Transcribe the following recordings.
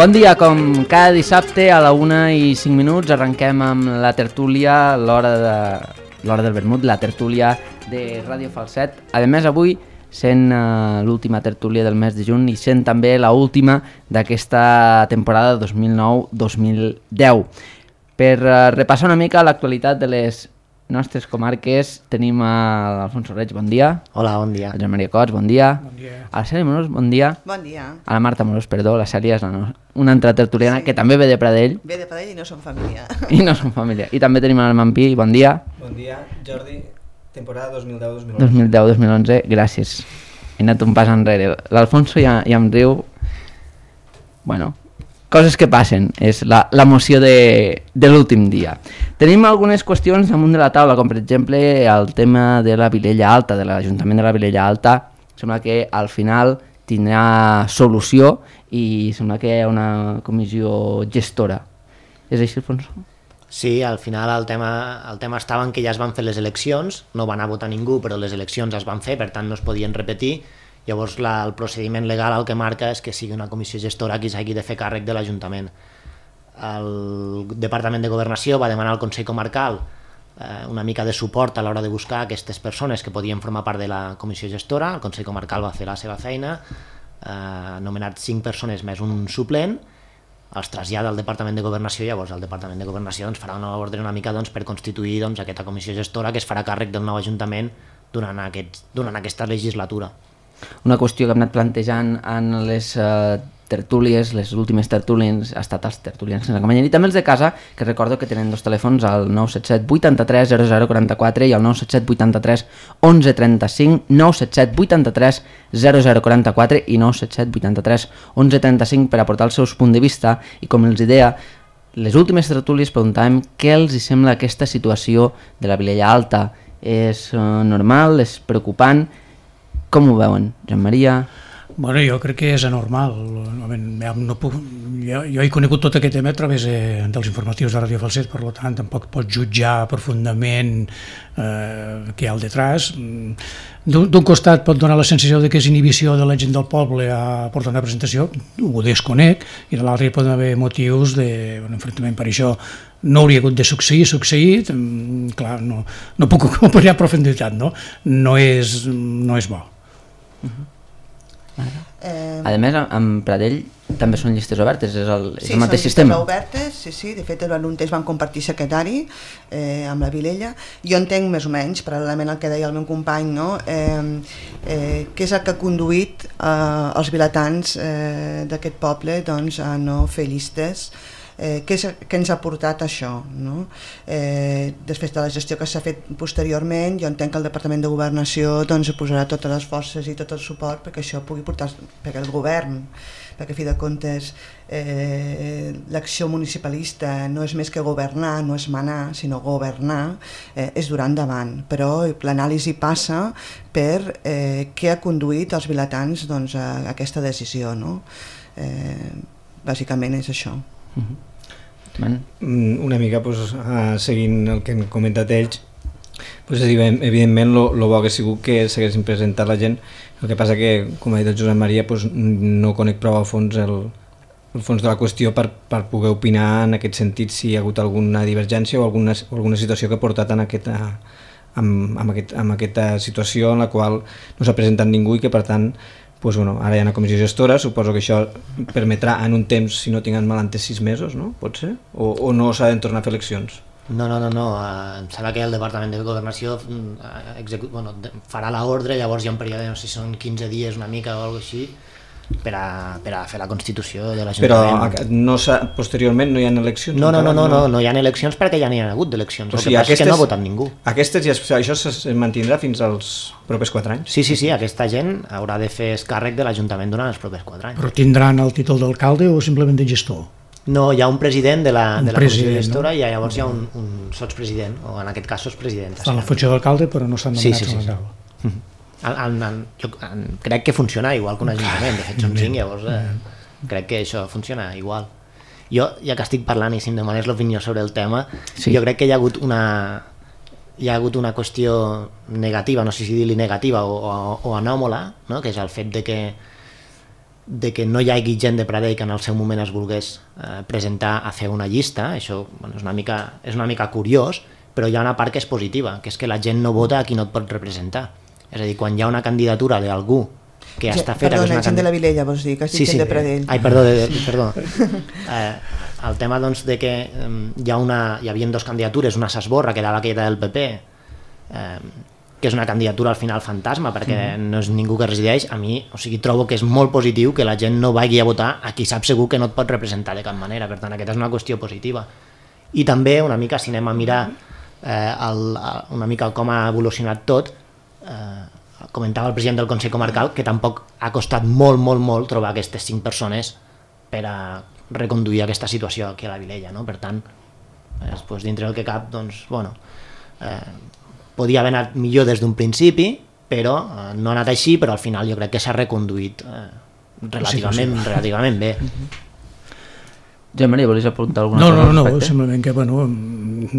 Bon dia, com cada dissabte a la 1:05 arrenquem amb la tertúlia, l'hora del vermut, la tertúlia de Ràdio Falset. A més, avui sent l'última tertúlia del mes de juny i sent també l'última d'aquesta temporada 2009-2010. Per repassar una mica l'actualitat de les nostres comarques, tenim l'Alfonso Reig, bon dia. Hola, bon dia. El Joan Maria Cots, bon dia. Bon dia. A la Cèlia Morós, bon dia. Bon dia. A la Marta Morós, perdó, la Cèlia és una altra tertuliana que també ve de Pradell. Ve de Pradell i no som família. I no som família. I també tenim el Mampí, bon dia. Bon dia, Jordi, temporada 2010-2011. 2010-2011, gràcies. He anat un pas enrere. L'Alfonso ja em riu. Bueno, coses que passen, és l'emoció de l'últim dia. Tenim algunes qüestions damunt de la taula, com per exemple el tema de la Vilella Alta, de l'Ajuntament de la Vilella Alta. Sembla que al final tindrà solució i sembla que hi ha una comissió gestora. És així, Alfonso? Sí, al final el tema estava en que ja es van fer les eleccions, no va anar a votar ningú, però les eleccions es van fer, per tant no es podien repetir. Llavors el procediment legal el que marca és que sigui una comissió gestora qui s'hagi de fer càrrec de l'Ajuntament. El Departament de Governació va demanar al Consell Comarcal una mica de suport a l'hora de buscar aquestes persones que podien formar part de la comissió gestora. El Consell Comarcal va fer la seva feina, ha nomenat 5 persones més un suplent, els trasllada al Departament de Governació, llavors el Departament de Governació farà una ordre una mica per constituir aquesta comissió gestora que es farà càrrec del nou Ajuntament durant aquesta legislatura. Una qüestió que hem anat plantejant en les tertúlies, les últimes tertúlies, ha estat els tertulians sense acompanyant, i també els de casa, que recordo que tenen dos telèfons, el 977 83 0044 i el 977 83 1135, 977 83 0044 i 977 83 1135 per aportar els seus punts de vista. I com els deia, les últimes tertúlies preguntàvem què els hi sembla aquesta situació de la Vilella Alta. És normal? És preocupant? Com ho veuen, Joan Maria? Bueno, jo crec que és anormal. Jo he conegut tot aquest tema a través dels informatius de Ràdio Falset, per tant tampoc pots jutjar profundament què hi ha al detrás. D'un costat pot donar la sensació de que és inhibició de la gent del poble a portar una presentació, ho desconec, i de l'altre hi poden haver motius d'enfrontament. Per això no hauria hagut de succeir, clar, no puc opinar a profunditat, no és bo. A més, en Pradell també són llistes obertes, és el mateix sistema. Sí, són llistes obertes, sí, de fet en un temps van compartir secretari amb la Vilella. Jo entenc més o menys, paral·lelament al que deia el meu company, què és el que ha conduït els vilatans d'aquest poble a no fer llistes. Què ens ha portat això, després de la gestió que s'ha fet posteriorment. Jo entenc que el Departament de Governació posarà totes les forces i tot el suport perquè això pugui portar, perquè el govern, perquè a fi de comptes l'acció municipalista no és més que governar, no és manar, sinó governar, és durar endavant, però l'anàlisi passa per què ha conduït els vilatans a aquesta decisió, bàsicament és això. Una mica seguint el que han comentat ells, evidentment el bo que ha sigut que s'haguessin presentat la gent. El que passa que, com ha dit el Josep Maria, no conec prou a fons el fons de la qüestió per poder opinar en aquest sentit si hi ha hagut alguna divergència o alguna situació que ha portat en aquesta situació en la qual no s'ha presentat ningú i que per tant ara hi ha una comissió gestora. Suposo que això permetrà en un temps, si no tinc mal entès, 6 mesos, no? Pot ser? O no s'ha de tornar a fer eleccions? No. Em sembla que el Departament de Governació farà l'ordre, llavors hi ha un període, no sé si són 15 dies una mica o alguna cosa així, per a fer la constitució de l'Ajuntament. Però posteriorment no hi ha eleccions? No hi ha eleccions perquè ja n'hi ha hagut d'eleccions. El que passa és que no ha votat ningú. Això es mantindrà fins als propers 4 anys? Sí, aquesta gent haurà de fer càrrec de l'Ajuntament durant els propers 4 anys. Però tindran el títol d'alcalde o simplement de gestor? No, hi ha un president de la comissió gestora i llavors hi ha un sotspresident, o en aquest cas sotspresident. Està en la funció d'alcalde però no estan nomenats a l'alcalde. Jo crec que funciona igual que un ajuntament, de fet són 5, llavors crec que això funciona igual. Jo, ja que estic parlant i si em demanes l'opinió sobre el tema, jo crec que hi ha hagut una qüestió negativa, no sé si dir-li negativa o anòmala, que és el fet de que de que no hi hagi gent de Pradell que en el seu moment es volgués presentar a fer una llista. Això és una mica curiós, però hi ha una part que és positiva, que és que la gent no vota a qui no et pot representar. És a dir, quan hi ha una candidatura d'algú que ja està feta... Perdona, gent de la Vilella, vols dir, que has dit gent de Pradell. Ai, perdó. El tema doncs, de que hi havia 2 candidatures, una s'esborra, que era aquella del PP, que és una candidatura al final fantasma, perquè no és ningú que resideix. A mi, trobo que és molt positiu que la gent no vagi a votar a qui sap segur que no et pot representar de cap manera. Per tant, aquesta és una qüestió positiva. I també, una mica, si anem a mirar una mica com ha evolucionat tot, comentava el president del Consell Comarcal que tampoc ha costat molt trobar aquestes 5 persones per a reconduir aquesta situació aquí a la Vilella, no? Per tant, dintre del que cap, doncs, podia haver anat millor des d'un principi, però no ha anat així, però al final jo crec que s'ha reconduït relativament bé. Joan Maria, volies apuntar alguna cosa? No, simplement que,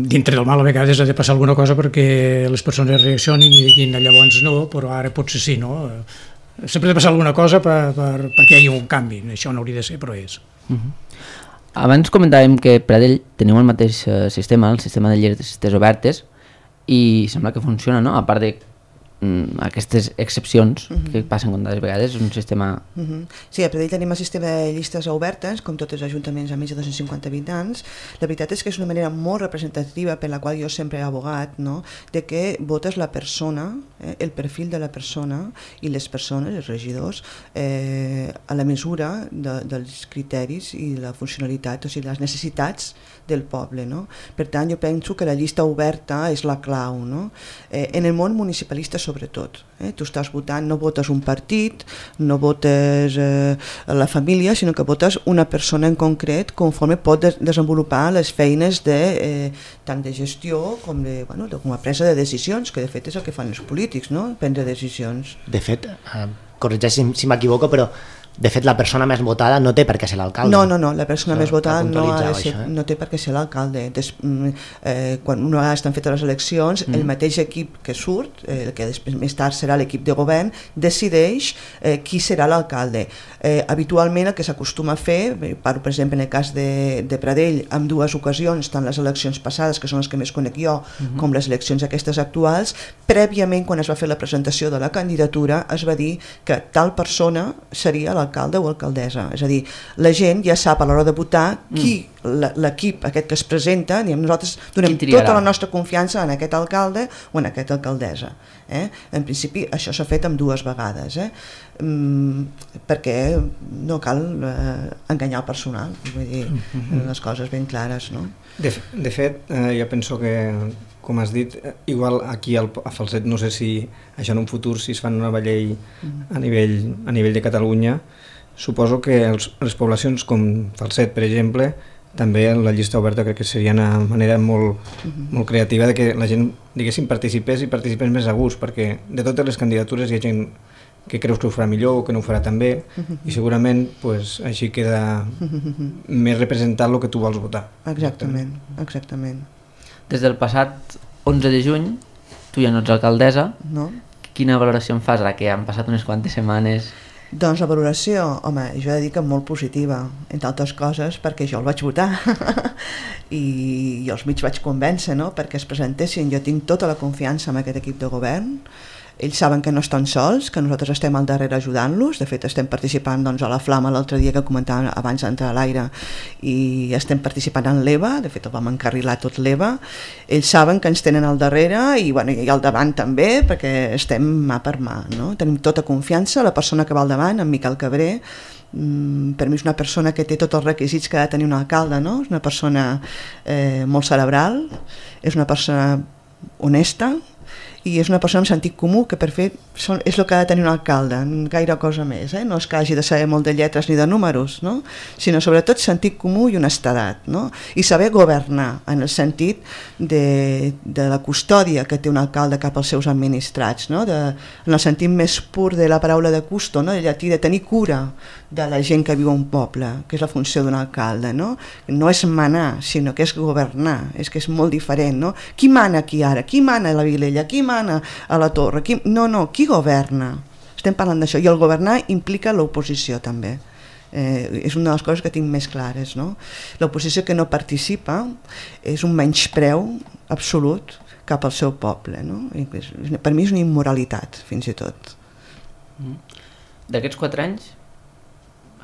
dintre del mal a vegades ha de passar alguna cosa perquè les persones reaccionin i diguin llavors no, però ara potser sí, no? Sempre ha de passar alguna cosa perquè hi hagi un canvi, això no hauria de ser, però és. Abans comentàvem que Pradell teniu el mateix sistema, el sistema de llistes obertes, i sembla que funciona, no? A part de aquestes excepcions que passen comptades vegades, és un sistema... Sí, a Pradell tenim el sistema de llistes obertes, com tots els ajuntaments amb més de 250 habitants. La veritat és que és una manera molt representativa per la qual jo sempre he abogat, no? De que votes la persona, el perfil de la persona i les persones, els regidors, a la mesura dels criteris i la funcionalitat, o sigui, les necessitats del poble, no? Per tant, jo penso que la llista oberta és la clau, no? En el món municipalista sobretot, tu estàs votant, no votes un partit, no votes la família, sinó que votes una persona en concret conforme pot desenvolupar les feines tant de gestió com a presa de decisions, que de fet és el que fan els polítics, no? Prendre decisions. De fet, corregeix si m'equivoco, però de fet la persona més votada no té per què ser l'alcalde. No, la persona més votada no té per què ser l'alcalde. Quan una vegada estan fetes les eleccions, el mateix equip que surt, el que més tard serà l'equip de govern, decideix qui serà l'alcalde. Habitualment el que s'acostuma a fer, parlo per exemple en el cas de Pradell, en 2 ocasions, tant les eleccions passades, que són les que més conec jo, com les eleccions aquestes actuals, prèviament quan es va fer la presentació de la candidatura es va dir que tal persona seria l'alcalde o alcaldessa, és a dir, la gent ja sap a l'hora de votar qui l'equip aquest que es presenta, nosaltres donem tota la nostra confiança en aquest alcalde o en aquesta alcaldessa. En principi això s'ha fet amb 2 vegades, perquè no cal enganyar el personal, vull dir, les coses ben clares, no? De fet, jo penso que, com has dit, igual aquí a Falset, no sé si això en un futur, si es fan una nova llei a nivell de Catalunya, suposo que les poblacions com Falset, per exemple, també la llista oberta crec que seria una manera molt creativa de que la gent, diguéssim, participés més a gust, perquè de totes les candidatures hi ha gent que creus que ho farà millor o que no ho farà tan bé, i segurament així queda més representat el que tu vols votar. Exactament. Des del passat 11 de juny, tu ja no ets alcaldessa, quina valoració en fas ara que han passat unes quantes setmanes? Doncs la valoració, home, jo he de dir que molt positiva, entre altres coses perquè jo el vaig votar i jo els mig vaig convèncer, no?, perquè es presentessin. Jo tinc tota la confiança en aquest equip de govern, ells saben que no estan sols, que nosaltres estem al darrere ajudant-los. De fet estem participant a la Flama l'altre dia que comentàvem abans d'entrar a l'aire, i estem participant en l'EVA, de fet el vam encarrilar tot l'EVA. Ells saben que ens tenen al darrere i al davant també, perquè estem mà per mà, no? Tenim tota confiança. La persona que va al davant, en Miquel Cabré, per mi és una persona que té tots els requisits que ha de tenir un alcalde, no? És una persona molt cerebral, és una persona honesta i és una persona amb sentit comú, que per fer és el que ha de tenir un alcalde, gaire cosa més, no és que hagi de saber molt de lletres ni de números, no? Sinó sobretot sentit comú i honestedat, no? I saber governar, en el sentit de la custòdia que té un alcalde cap als seus administrats, no? En el sentit més pur de la paraula de custo, no? De llatí, de tenir cura de la gent que viu a un poble, que és la funció d'un alcalde, no? No és manar, sinó que és governar, és que és molt diferent, no? Qui mana aquí ara? Qui mana a la Vilella? Qui mana a la Torre? No, qui governa? estem parlant d'això, i el governar implica l'oposició també. És una de les coses que tinc més clares, no? L'oposició que no participa és un menyspreu absolut cap al seu poble, no? Per mi és una immoralitat, fins i tot. D'aquests 4 anys,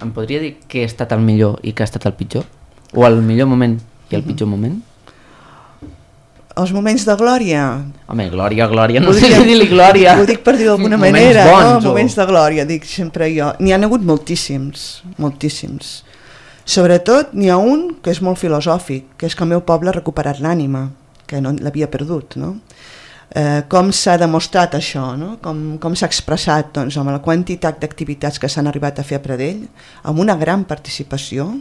em podria dir què ha estat el millor i què ha estat el pitjor? O el millor moment i el pitjor moment? Els moments de glòria. Home, glòria, no sé si dir-li glòria. Ho dic per dir d'alguna manera, no? Moments de glòria, dic sempre jo. N'hi ha hagut moltíssims. Sobretot n'hi ha un que és molt filosòfic, que és que el meu poble ha recuperat l'ànima, que no l'havia perdut, no? Com s'ha demostrat això, no? Com s'ha expressat, doncs, amb la quantitat d'activitats que s'han arribat a fer a Pradell, amb una gran participació,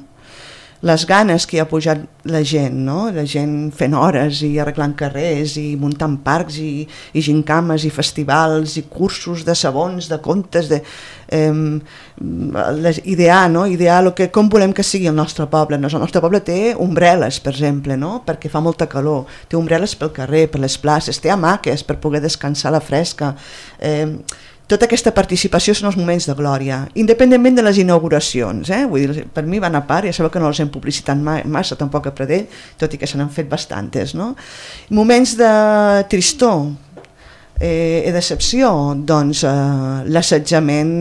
les ganes que hi ha pujat la gent, no? La gent fent hores i arreglant carrers i muntant parcs i gincames i festivals i cursos de sabons, de contes, idear, no? Idear com volem que sigui el nostre poble. El nostre poble té ombrel·les, per exemple, no? Perquè fa molta calor, té ombrel·les pel carrer, per les places, té hamaques per poder descansar a la fresca. Tota aquesta participació són els moments de glòria, independentment de les inauguracions. Vull dir, per mi van a part, ja sabeu que no les hem publicitat massa tampoc a Pradell, tot i que se n'han fet bastantes, no? Moments de tristor i decepció, doncs l'assetjament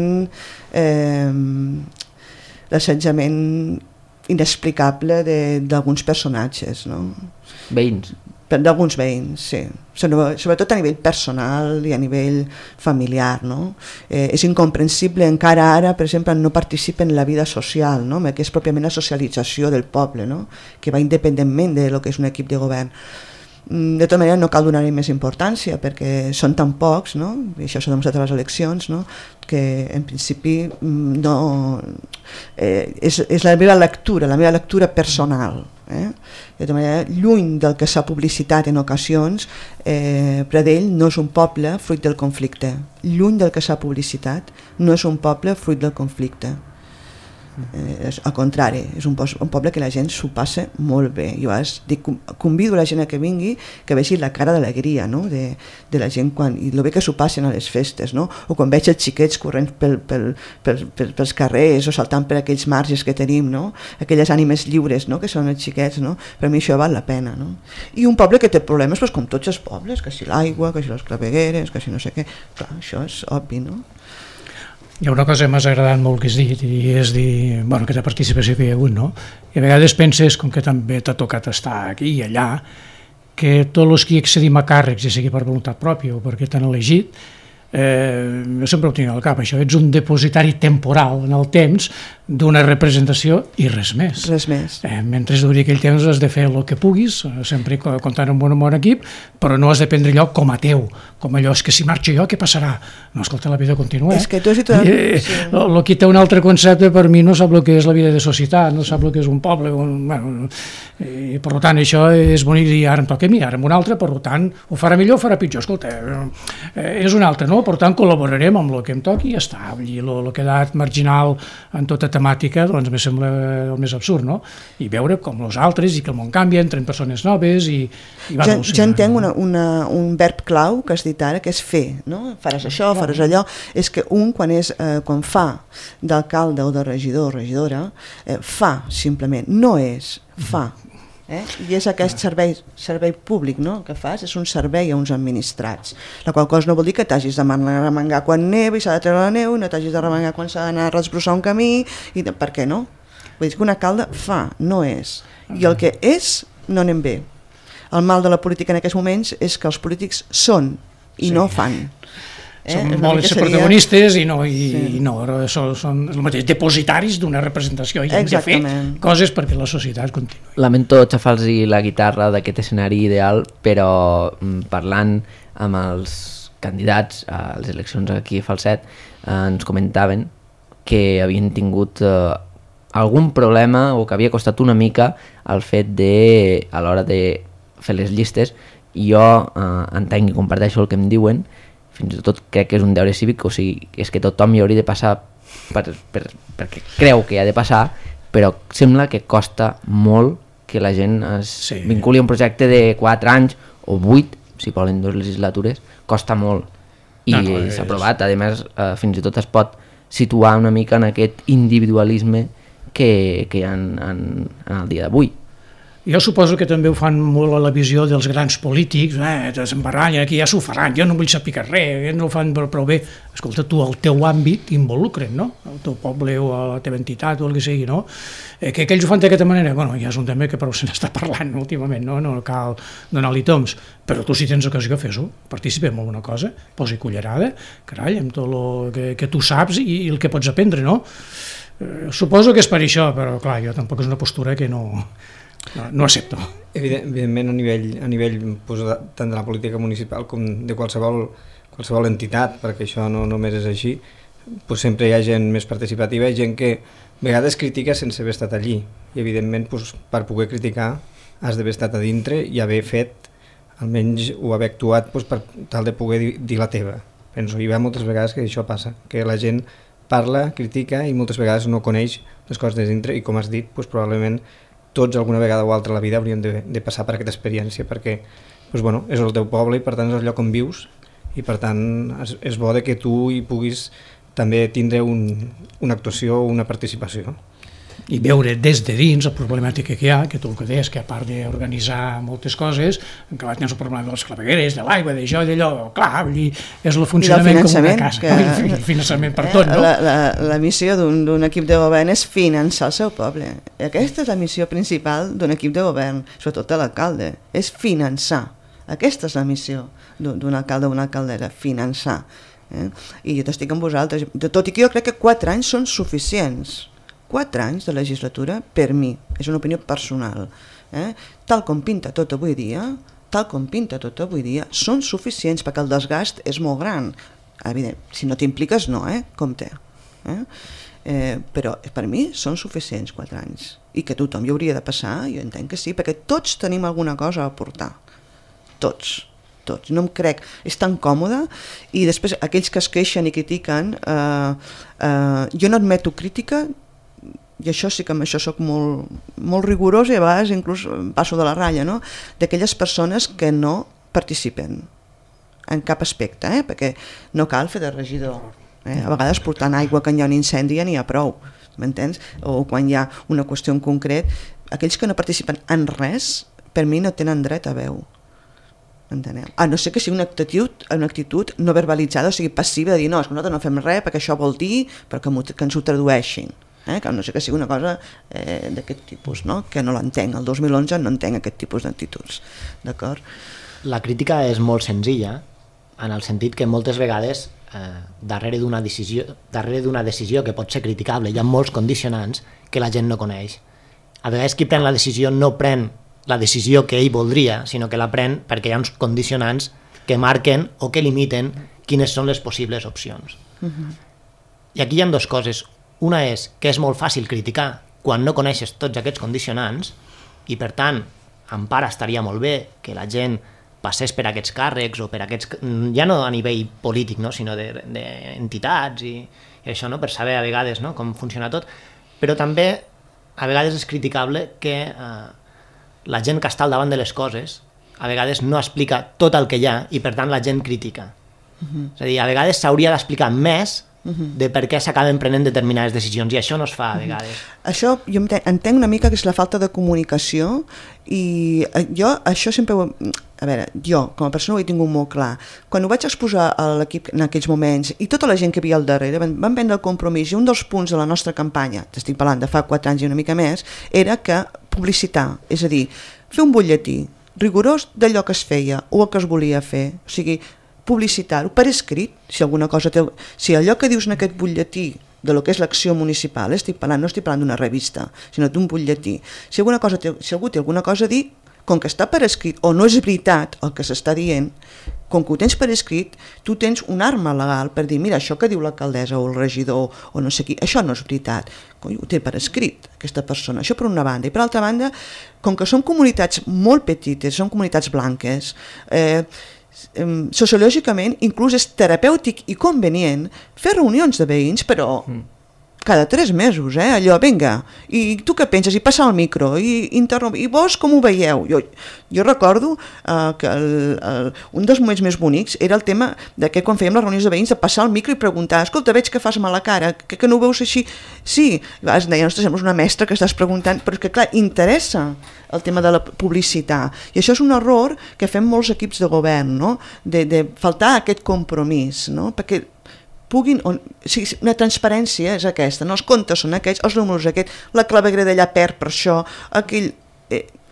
inexplicable d'alguns personatges, no? Veïns. D'alguns veïns, sí, sobretot a nivell personal i a nivell familiar, no? És incomprensible encara ara, per exemple, no participa en la vida social, no? Que és pròpiament la socialització del poble, no? Que va independentment de lo que és un equip de govern. De tota manera no cal donar-hi més importància perquè són tan pocs, no? I això s'ha demostrat a les eleccions, no? Que en principi no... és la meva lectura personal. De tota manera, lluny del que s'ha publicitat en ocasions, Pradell no és un poble fruit del conflicte. Lluny del que s'ha publicitat, no és un poble fruit del conflicte. Al contrari, és un poble que la gent s'ho passa molt bé. Jo convido la gent a que vingui, que vegi la cara d'alegria, no? de la gent i el bé que s'ho passen a les festes, no? O quan veig els xiquets corrent pels carrers o saltant per aquells marges que tenim, no? Aquelles ànimes lliures, no? Que són els xiquets, no? Per mi això val la pena, no? I un poble que té problemes, com tots els pobles, que si l'aigua, que si les clavegueres, que si no sé què. Clar, això és obvi, no? Hi ha una cosa que m'ha agradat molt que has dit, i és dir, bueno, aquesta participació que hi ha hagut, no? I a vegades penses, com que també t'ha tocat estar aquí i allà, que tots els que accedim a càrrecs, ja sigui per voluntat pròpia o perquè t'han elegit, jo sempre ho tinc al cap, això, ets un depositari temporal en el temps d'una representació i res més. Res més. Mentre duri aquell temps has de fer el que puguis, sempre comptant amb un bon equip, però no has de prendre allò com a teu, com allò, és que si marxo jo, què passarà? No, escolta, la vida continua. És que tu has dit... El que té un altre concepte per mi no sap el que és la vida de societat, no sap el que és un poble, i per tant això és bonic dir, ara em toca a mi, ara amb un altre, per tant, ho farà millor o farà pitjor, escolta, és un altre, no? Per tant, col·laborarem amb el que em toqui i ja està. I el que ha quedat marginal en tota temàtica, doncs me sembla el més absurd, no? I veure com els altres i que el món canvia, entren persones noves i va evolucionar. Jo entenc un verb clau que has dit ara, que és fer, no? Faràs això, faràs allò. És que quan fa d'alcalde o de regidor o regidora, fa simplement, no és, fa. I és aquest servei públic, no? Que fas, és un servei a uns administrats, la qual cosa no vol dir que t'hagis de remengar quan neva i s'ha de treure la neu, no t'hagis de remengar quan s'ha d'anar a resbrossar un camí, per què no? Vull dir que un alcalde fa, no és, i el que és no anem bé. El mal de la política en aquests moments és que els polítics són i no fan. Són molt ser protagonistes i no, són el mateix, depositaris d'una representació i hem de fer coses perquè la societat continuï. Lamento xafar-los la guitarra d'aquest escenari ideal, però parlant amb els candidats a les eleccions aquí a Falset ens comentaven que havien tingut algun problema o que havia costat una mica el fet de, a l'hora de fer les llistes, i jo entenc i comparteixo el que em diuen, fins i tot crec que és un deure cívic, o sigui, és que tothom hi hauria de passar perquè creu que hi ha de passar, però sembla que costa molt que la gent es vinculi a un projecte de 4 anys o 8, si volen 2 legislatures, costa molt. i s'ha aprovat. A més, fins i tot es pot situar una mica en aquest individualisme que hi ha en el dia d'avui. Jo suposo que també ho fan molt a la visió dels grans polítics, s'embarrallen, aquí ja s'ho faran, jo no vull saber res, no ho fan prou bé. Escolta, tu al teu àmbit involucren, no? Al teu poble o a la teva entitat o el que sigui, no? Que aquells ho fan d'aquesta manera, bueno, ja és un tema que prou se n'està parlant últimament, no cal donar-li toms, però tu si tens ocasió fes-ho, participa en alguna cosa, posi cullerada, carai, amb tot el que tu saps i el que pots aprendre, no? Suposo que és per això, però clar, jo tampoc és una postura que no accepto. Evidentment, a nivell doncs, tant de la política municipal com de qualsevol entitat, perquè això no només és així, doncs sempre hi ha gent més participativa, gent que a vegades critica sense haver estat allí, i evidentment doncs, per poder criticar has d'haver estat a dintre i haver fet, almenys o haver actuat doncs, per tal de poder dir la teva. Penso, hi ha moltes vegades que això passa, que la gent parla, critica i moltes vegades no coneix les coses de dintre i com has dit, doncs, probablement tots alguna vegada o altra a la vida hauríem de passar per aquesta experiència perquè doncs, bueno, és el teu poble i per tant és el lloc on vius i per tant és bo que tu hi puguis també tindre una actuació o una participació. I veure des de dins la problemàtica que hi ha, que tu el que deies, que a part d'organitzar moltes coses, que tens el problema de les clavegueres, de l'aigua, d'això i d'allò, clar, és el funcionament com una casa, el finançament per tot, no? La missió d'un equip de govern és finançar el seu poble. Aquesta és la missió principal d'un equip de govern, sobretot de l'alcalde, és finançar. Aquesta és la missió d'un alcalde o una alcaldessa, finançar. I jo estic amb vosaltres, tot i que jo crec que 4 anys són suficients. 4 anys de legislatura, per mi, és una opinió personal, tal com pinta tot avui dia, són suficients perquè el desgast és molt gran. Evident, si no t'impliques, no, compte. Però per mi són suficients 4 anys. I que tothom hi hauria de passar, jo entenc que sí, perquè tots tenim alguna cosa a aportar. Tots, no em crec, és tan còmode, i després aquells que es queixen i critiquen, jo no admeto crítica, i això sí que amb això soc molt rigorós i a vegades inclús passo de la ratlla, no? D'aquelles persones que no participen en cap aspecte, perquè no cal fer de regidor. A vegades portant aigua quan hi ha un incendi ja n'hi ha prou, m'entens? O quan hi ha una qüestió en concret, aquells que no participen en res, per mi no tenen dret a veu. Enteneu? A no ser que sigui una actitud no verbalitzada, o sigui passiva, de dir no, nosaltres no fem res perquè això vol dir, però que ens ho tradueixin. Que no sé que sigui una cosa d'aquest tipus, no? Que no l'entenc, el 2011 no entenc aquest tipus d'actituds, d'acord? La crítica és molt senzilla, en el sentit que moltes vegades darrere d'una decisió que pot ser criticable hi ha molts condicionants que la gent no coneix. A vegades qui pren la decisió no pren la decisió que ell voldria, sinó que la pren perquè hi ha uns condicionants que marquen o que limiten quines són les possibles opcions. I aquí hi ha 2 coses. Una és que és molt fàcil criticar quan no coneixes tots aquests condicionants i per tant, en part estaria molt bé que la gent passés per aquests càrrecs o per aquests, ja no a nivell polític, no? Sinó d'entitats i això, no? Per saber a vegades, no? Com funciona tot, però també a vegades és criticable que la gent que està al davant de les coses a vegades no explica tot el que hi ha i per tant la gent critica. És a dir, a vegades s'hauria d'explicar més de per què s'acaben prenent determinades decisions i això no es fa a vegades. Això jo entenc una mica que és la falta de comunicació i jo això sempre a veure, jo com a persona ho he tingut molt clar. Quan ho vaig exposar a l'equip en aquells moments i tota la gent que hi havia al darrere van prendre el compromís i un dels punts de la nostra campanya, t'estic parlant de fa 4 anys i una mica més, era que publicitar, és a dir, fer un butlletí rigorós d'allò que es feia o el que es volia fer, o sigui, publicitar-ho per escrit, si allò que dius en aquest butlletí de lo que és l'acció municipal, no estic parlant d'una revista, sinó d'un butlletí, si algú té alguna cosa a dir, com que està per escrit o no és veritat el que s'està dient, com que ho tens per escrit, tu tens una arma legal per dir, mira, això que diu l'alcaldessa o el regidor o no sé qui, això no és veritat, ho té per escrit aquesta persona, això per una banda, i per altra banda, com que són comunitats molt petites, són comunitats blanques, sociològicament inclús és terapèutic i convenient fer reunions de veïns, però cada 3 mesos, allò, vinga, i tu què penses? I passar el micro, i vos com ho veieu? Jo recordo que un dels moments més bonics era el tema de que quan fèiem les reunions de veïns de passar el micro i preguntar, escolta, veig que fas mala cara, que no ho veus així? Sí, es deia, ostres, sembles una mestra que estàs preguntant, però és que clar, interessa el tema de la publicitat, i això és un error que fem molts equips de govern, no? De faltar aquest compromís, no? Perquè puguin, una transparència és aquesta, no? Els comptes són aquests, els números aquests, la claveguera d'allà perd per això, aquell...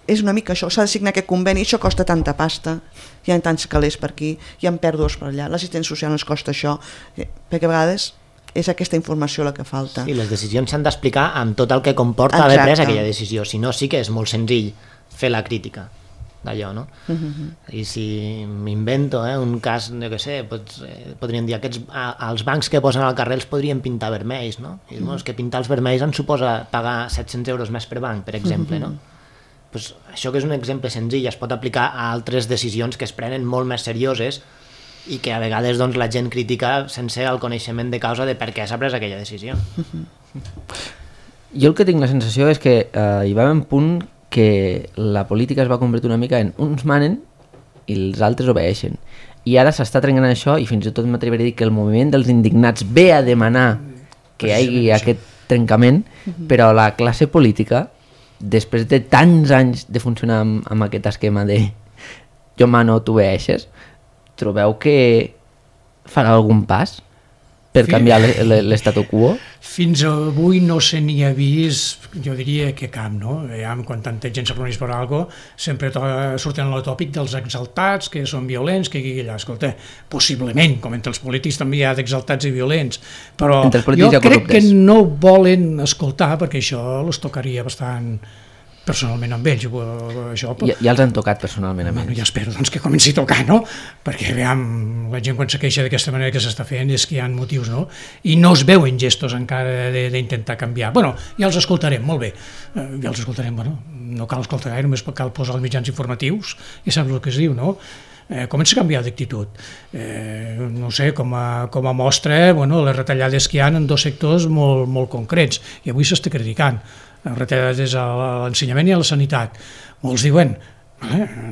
és una mica això, s'ha de signar aquest conveni, això costa tanta pasta, hi ha tants calés per aquí, hi ha pèrdues per allà, l'assistència social ens costa això, perquè a vegades és aquesta informació la que falta. Sí, les decisions s'han d'explicar amb tot el que comporta haver pres aquella decisió, si no sí que és molt senzill fer la crítica d'allò, no? I si m'invento un cas, jo què sé, podríem dir els bancs que posen al carrer els podrien pintar vermells, no? I és que pintar els vermells ens suposa pagar 700 euros més per banc, per exemple, no? Pues això que és un exemple senzill es pot aplicar a altres decisions que es prenen molt més serioses i que a vegades doncs, la gent critica sense el coneixement de causa de per què s'ha pres aquella decisió. Jo el que tinc la sensació és que hi va haver un punt que la política es va convertir una mica en uns manen i els altres obeeixen. I ara s'està trencant això i fins i tot m'atreviré a dir que el moviment dels indignats ve a demanar que hi hagi aquest trencament, però la classe política, després de tants anys de funcionar amb aquest esquema de jo mano, tu obeeixes, trobeu que farà algun pas per canviar l'estatu quo? Fins avui no se n'hi ha vist, jo diria que cap, no? Quan tanta gent se reuneix per alguna cosa, sempre surten el tòpic dels exaltats, que són violents, que aquí allà, escolta, possiblement, com entre els polítics també hi ha d'exaltats i violents, però jo crec que no volen escoltar, perquè això els tocaria bastant personalment amb ells. Ja els han tocat personalment amb ells. Ja espero doncs, que comenci a tocar, no? Perquè veiem, la gent quan se queixa d'aquesta manera que s'està fent és que hi ha motius, no? I no es veuen gestos encara d'intentar canviar. Bueno, ja els escoltarem, molt bé. Ja els escoltarem, bueno, no cal escoltar gaire, només cal posar els mitjans informatius i saps el que es diu, no? Comença a canviar d'actitud. No sé, com a mostra, les retallades que hi ha en 2 sectors molt concrets, i avui s'està criticant retallades a l'ensenyament i a la sanitat. Molts diuen,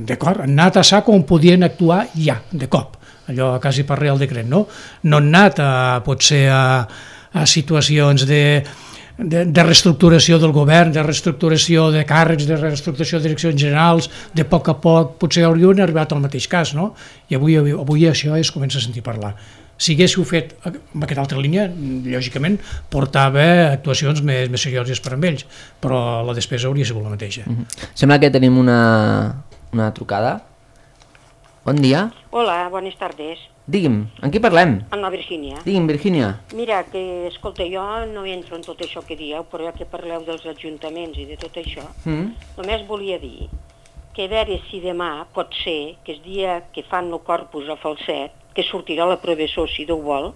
d'acord, han anat a sac on podien actuar ja, de cop, allò quasi per Real Decret, no? No han anat potser a situacions de reestructuració del govern, de reestructuració de càrrecs, de reestructuració de direccions generals, de poc a poc potser haurien arribat al mateix cas, no? I avui això es comença a sentir parlar. Si haguéssiu fet amb aquesta altra línia, lògicament portava actuacions més serioses per amb ells, però la despesa hauria sigut la mateixa. Sembla que tenim una trucada. Bon dia. Hola, bones tardes. Digui'm, amb qui parlem? Amb la Virgínia. Digui'm, Virgínia. Mira, que, escolta, jo no entro en tot això que dieu, però ja que parleu dels ajuntaments i de tot això, només volia dir que a veure si demà pot ser que el dia que fan el corpus a Falset, que sortirà la professor, si Déu vol,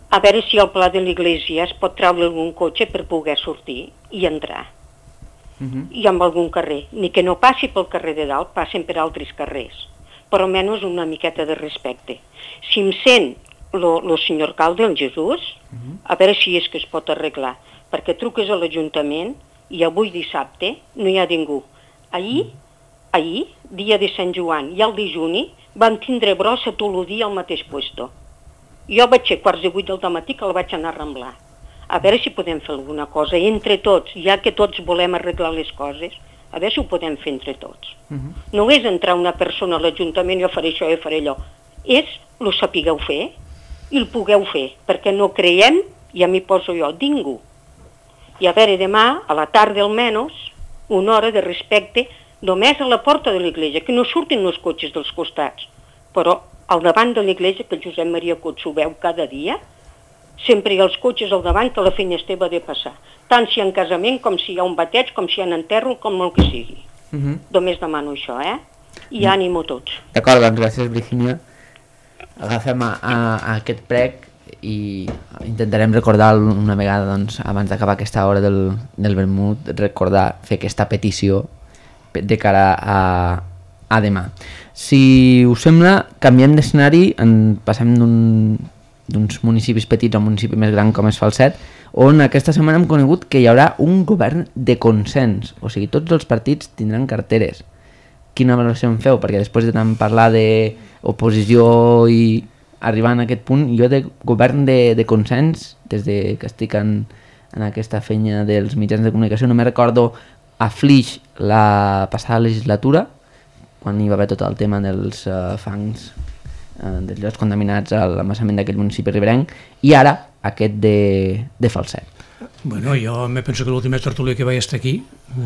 a veure si al Pla de l'Iglésia es pot treure algun cotxe per poder sortir i entrar. I amb algun carrer. Ni que no passi pel carrer de dalt, passen per altres carrers. Però almenys una miqueta de respecte. Si em sent el senyor alcalde, el Jesús, a veure si és que es pot arreglar. Perquè truques a l'Ajuntament i avui dissabte no hi ha ningú. Ahir, dia de Sant Joan i el de Juni, van tindre brossa tot el dia al mateix puesto. Jo vaig ser 7:15 del matí que la vaig anar a ramblar. A veure si podem fer alguna cosa entre tots, ja que tots volem arreglar les coses, a veure si ho podem fer entre tots. No és entrar una persona a l'Ajuntament, jo faré això, jo faré allò. És el sapigueu fer i el pugueu fer, perquè no creiem, i a mi poso jo, ningú. I a veure, demà, a la tarda almenys, una hora de respecte, només a la porta de l'església, que no surtin els cotxes dels costats, però al davant de l'església, que el Josep Maria Cots ho veu cada dia, sempre hi ha els cotxes al davant que la feina esteva de passar, tant si hi ha un casament, com si hi ha un bateig, com si hi ha un enterro, com el que sigui. Només demano això, I ànimo a tots. D'acord, doncs gràcies, Virgínia. Agafem aquest prec i intentarem recordar una vegada, doncs, abans d'acabar aquesta hora del vermut, recordar, fer aquesta petició de cara a demà. Si us sembla, canviem d'escenari, passem d'uns municipis petits a un municipi més gran com és Falset, on aquesta setmana hem conegut que hi haurà un govern de consens, o sigui, tots els partits tindran carteres. Quina valoració en feu? Perquè després de tant parlar d'oposició i arribar a aquest punt, jo de govern de consens, des de que estic en aquesta feina dels mitjans de comunicació, no me recordo a Flix la passada legislatura, quan hi va haver tot el tema dels fangs dels llocs contaminats a l'embassament d'aquell municipi riberenc, i ara aquest de Falset. Bueno, jo me penso que l'última tertúlia que vaig estar aquí,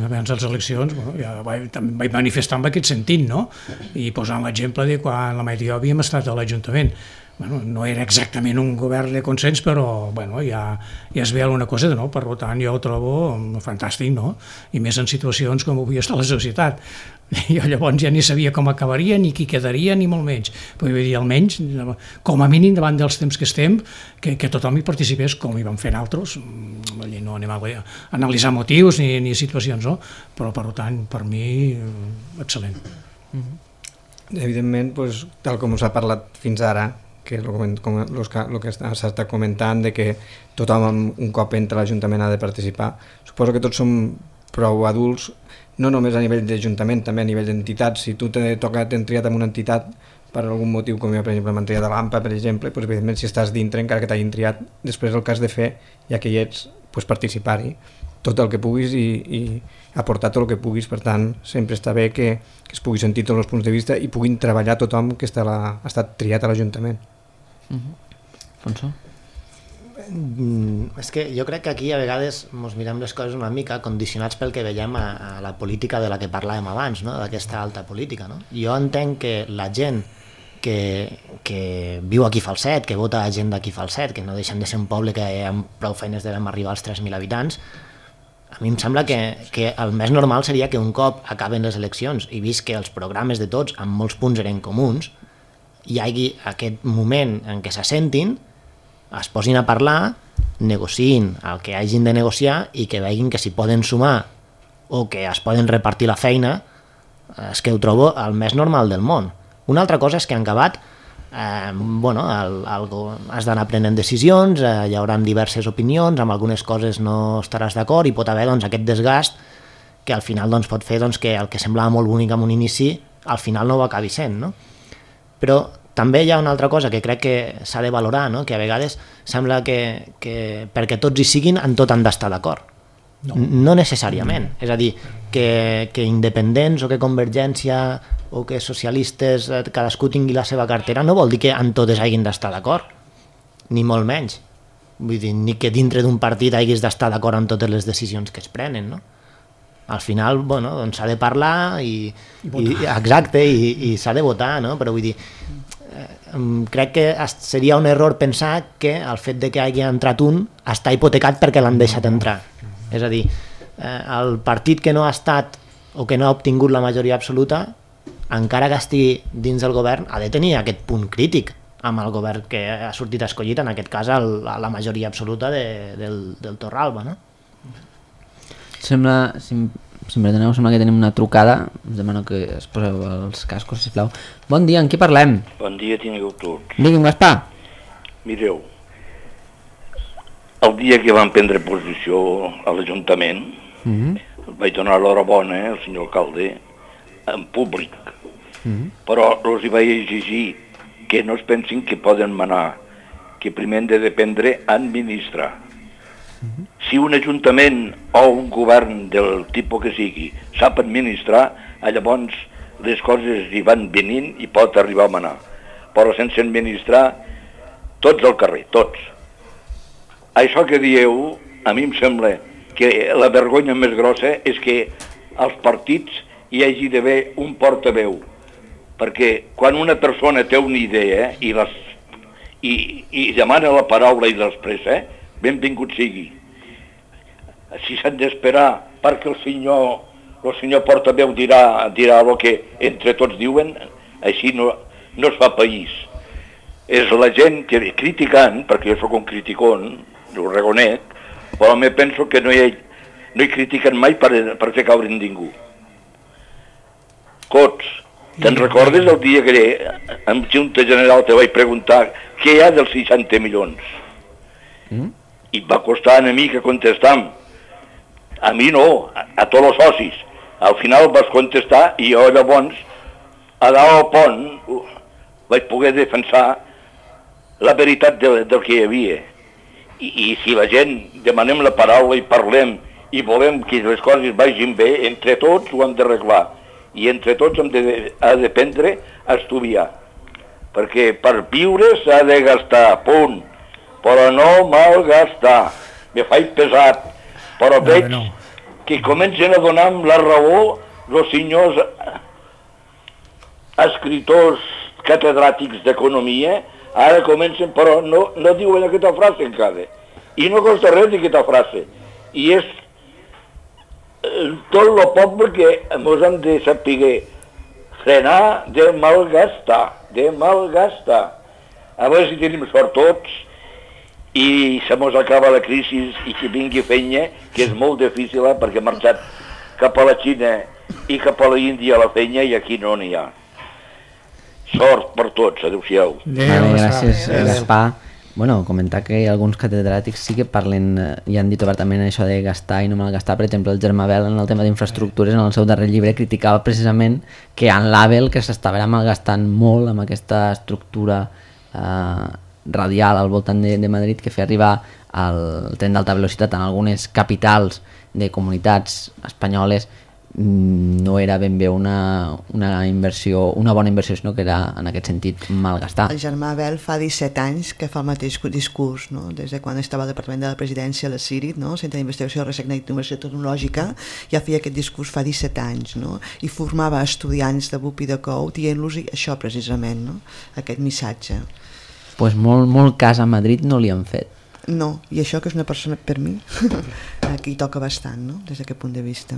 abans de les eleccions, ja també vaig manifestar en aquest sentit, no? I posant l'exemple de quan la majoria havíem estat a l'Ajuntament. Bueno, no era exactament un govern de consens, però bueno, ja es ve alguna cosa de nou, per tant jo ho trobo fantàstic, no? I més en situacions com avui està la societat. Jo llavors ja ni sabia com acabaria, ni qui quedaria, ni molt menys. Però vull dir, almenys, com a mínim davant dels temps que estem, que tothom hi participés com hi vam fer altres. No anem a analitzar motius ni situacions, no? Però per tant, per mi, excel·lent. Evidentment, tal com s'ha parlat fins ara, que el que s'ha estat comentant, de que tothom un cop entra a l'Ajuntament ha de participar. Suposo que tots som prou adults, no només a nivell d'Ajuntament, també a nivell d'entitats. Si tu t'han triat en una entitat per algun motiu, com jo per exemple m'han triat a l'AMPA, per exemple, doncs evidentment si estàs dintre, encara que t'hagin triat, després el que has de fer, ja que hi ets, participar-hi tot el que puguis i aportar tot el que puguis. Per tant, sempre està bé que es pugui sentir tots els punts de vista i puguin treballar tothom que ha estat triat a l'Ajuntament. Alfonso? És que jo crec que aquí a vegades ens mirem les coses una mica condicionats pel que veiem a la política de la que parlàvem abans, no? D'aquesta alta política. No? Jo entenc que la gent que viu aquí a Falset, que vota gent d'aquí a Falset, que no deixen de ser un poble que amb prou feines devem arribar als 3.000 habitants, a mi em sembla que el més normal seria que un cop acaben les eleccions i vist que els programes de tots en molts punts eren comuns, hi hagi aquest moment en què s'assentin, es posin a parlar, negociïn el que hagin de negociar i que vegin que si poden sumar o que es poden repartir la feina, és que ho trobo el més normal del món. Una altra cosa és que en acabat has d'anar prenent decisions, hi haurà diverses opinions, amb algunes coses no estaràs d'acord i pot haver aquest desgast que al final pot fer que el que semblava molt bonic en un inici al final no ho acabi sent, no? Però també hi ha una altra cosa que crec que s'ha de valorar, no? Que a vegades sembla que perquè tots hi siguin en tot han d'estar d'acord. No necessàriament. És a dir, que independents o que Convergència o que socialistes cadascú tingui la seva cartera no vol dir que en totes hagin d'estar d'acord, ni molt menys. Vull dir, ni que dintre d'un partit haguis d'estar d'acord amb totes les decisions que es prenen, no? Al final, s'ha de parlar i exacte, i s'ha de votar, no? Però vull dir, crec que seria un error pensar que el fet de que hagi entrat un està hipotecat perquè l'han deixat entrar. És a dir, el partit que no ha estat o que no ha obtingut la majoria absoluta, encara que estigui dins del govern, ha de tenir aquest punt crític amb el govern que ha sortit escollit, en aquest cas la majoria absoluta del Torralba, no? Si em perdoneu, sembla que tenim una trucada. Us demano que es poseu els cascos, sisplau. Bon dia, en qui parlem? Bon dia, tingueu tots. Digui'm, Gaspar. Mireu, el dia que vam prendre posició a l'Ajuntament, vaig donar l'horabona al senyor alcalde en públic, però els hi vaig exigir que no es pensin que poden manar, que primer han de dependre a administrar. Si un ajuntament o un govern del tipus que sigui sap administrar, llavors les coses hi van venint i pot arribar a manar. Però sense administrar, tots al carrer, tots. Això que dieu, a mi em sembla que la vergonya més grossa és que als partits hi hagi d'haver un portaveu, perquè quan una persona té una idea i demana la paraula i l'expressa, benvingut sigui. Si s'han d'esperar perquè el senyor portaveu dirà el que entre tots diuen, així no es fa país. És la gent que criticant, perquè jo soc un criticón, ho reconec, però me penso que no hi critiquen mai per fer caure ningú. Cots, Te'n recordes el dia que en Junta General te vaig preguntar què hi ha dels 60 milions? I va costar a mi que contestam. A mi no, a tots els socis. Al final vas contestar i jo llavors a dalt al pont vaig poder defensar la veritat del que hi havia. I si la gent demanem la paraula i parlem i volem que les coses vagin bé, entre tots ho hem d'arreglar. I entre tots hem d'aprendre a estudiar. Perquè per viure s'ha de gastar, punt. Però no malgastar. Me faig pesat. Però veig que comencen a donar la raó els senyors escriptors catedràtics d'economia. Ara comencen, però no diuen aquesta frase encara. I no costa res aquesta frase. I és tot el poble que ens hem de saber frenar de malgastar, A veure si tenim sort tots i se mos acaba la crisi i que vingui feina, que és molt difícil perquè ha marxat cap a la Xina i cap a l'Índia la feina i aquí no n'hi ha. Sort per tots, adéu-siau. Gràcies, Gaspar. Bueno, comentar que alguns catedràtics sí que parlen i han dit obertament això de gastar i no malgastar. Per exemple, el Germà Bel en el tema d'infraestructures en el seu darrer llibre criticava precisament que en l'AVEL que s'estava malgastant molt amb aquesta estructura radial al voltant de Madrid que feia arribar el tren d'alta velocitat en algunes capitals de comunitats espanyoles. No era ben bé una inversió, una bona inversió, sinó que era en aquest sentit malgastar. El Germà Bel fa 17 anys que fa el mateix discurs, no? Des de quan estava al Departament de la Presidència a la CIRIT, no? Centre d'Investigació de Recerca i Innovació Tecnològica, ja feia aquest discurs fa 17 anys, no? I formava estudiants de BUP i de COU dient-los això precisament, no? Aquest missatge. Pues molt cas a Madrid no li han fet. No, i això que és una persona, per mi, aquí toca bastant, no? Des d'aquest punt de vista.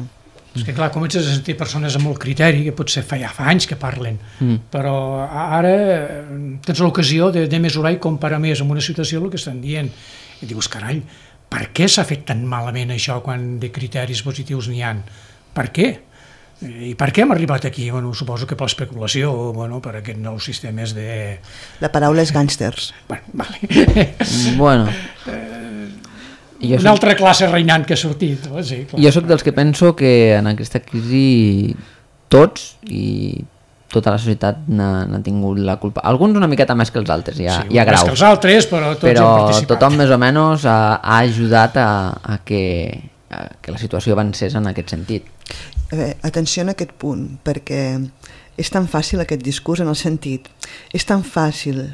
És que clar, comences a sentir persones amb molt criteri, que potser fa anys que parlen, però ara tens l'ocasió de mesurar i comparar més amb una situació el que estan dient. I dius, carai, per què s'ha fet tan malament això quan de criteris positius n'hi ha? Per què? I per què hem arribat aquí? Bueno, suposo que per l'especulació, bueno, per aquests nous sistemes de... La paraula és gàngsters. Vale. Bueno... Una altra classe reinant que ha sortit. Sí, jo sóc dels que penso que en aquesta crisi tots i tota la societat n'ha tingut la culpa. Alguns una miqueta més que els altres, hi ha graus. Més que els altres, però tots però han participat. Tothom més o menys ha ajudat a que la situació avancés en aquest sentit. Atenció en aquest punt, perquè és tan fàcil aquest discurs en el sentit, és tan fàcil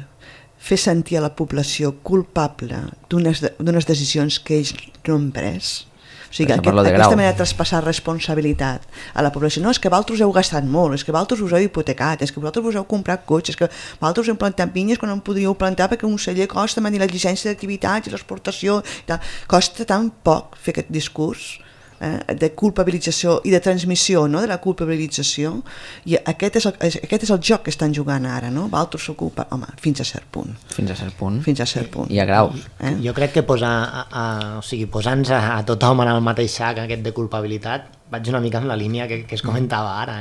fer sentir a la població culpable d'unes decisions que ells no han pres. O sigui, aquesta manera de traspassar responsabilitat a la població. No, és que vosaltres heu gastat molt, és que vosaltres us heu hipotecat, és que vosaltres us heu comprat cotxes, és que vosaltres heu plantat pinyes quan no en podíeu plantar perquè un celler costa mantenir la llicència d'activitats i l'exportació i tal. Costa tan poc fer aquest discurs de culpabilització i de transmissió, no? De la culpabilització, i aquest és el joc que estan jugant ara, no? Vosaltres s'ocupa, home, fins a cert punt. Fins a cert punt. Fins a cert punt. I a graus. Jo crec que posant-nos a tothom en el mateix sac, aquest de culpabilitat, vaig una mica en la línia que es comentava ara.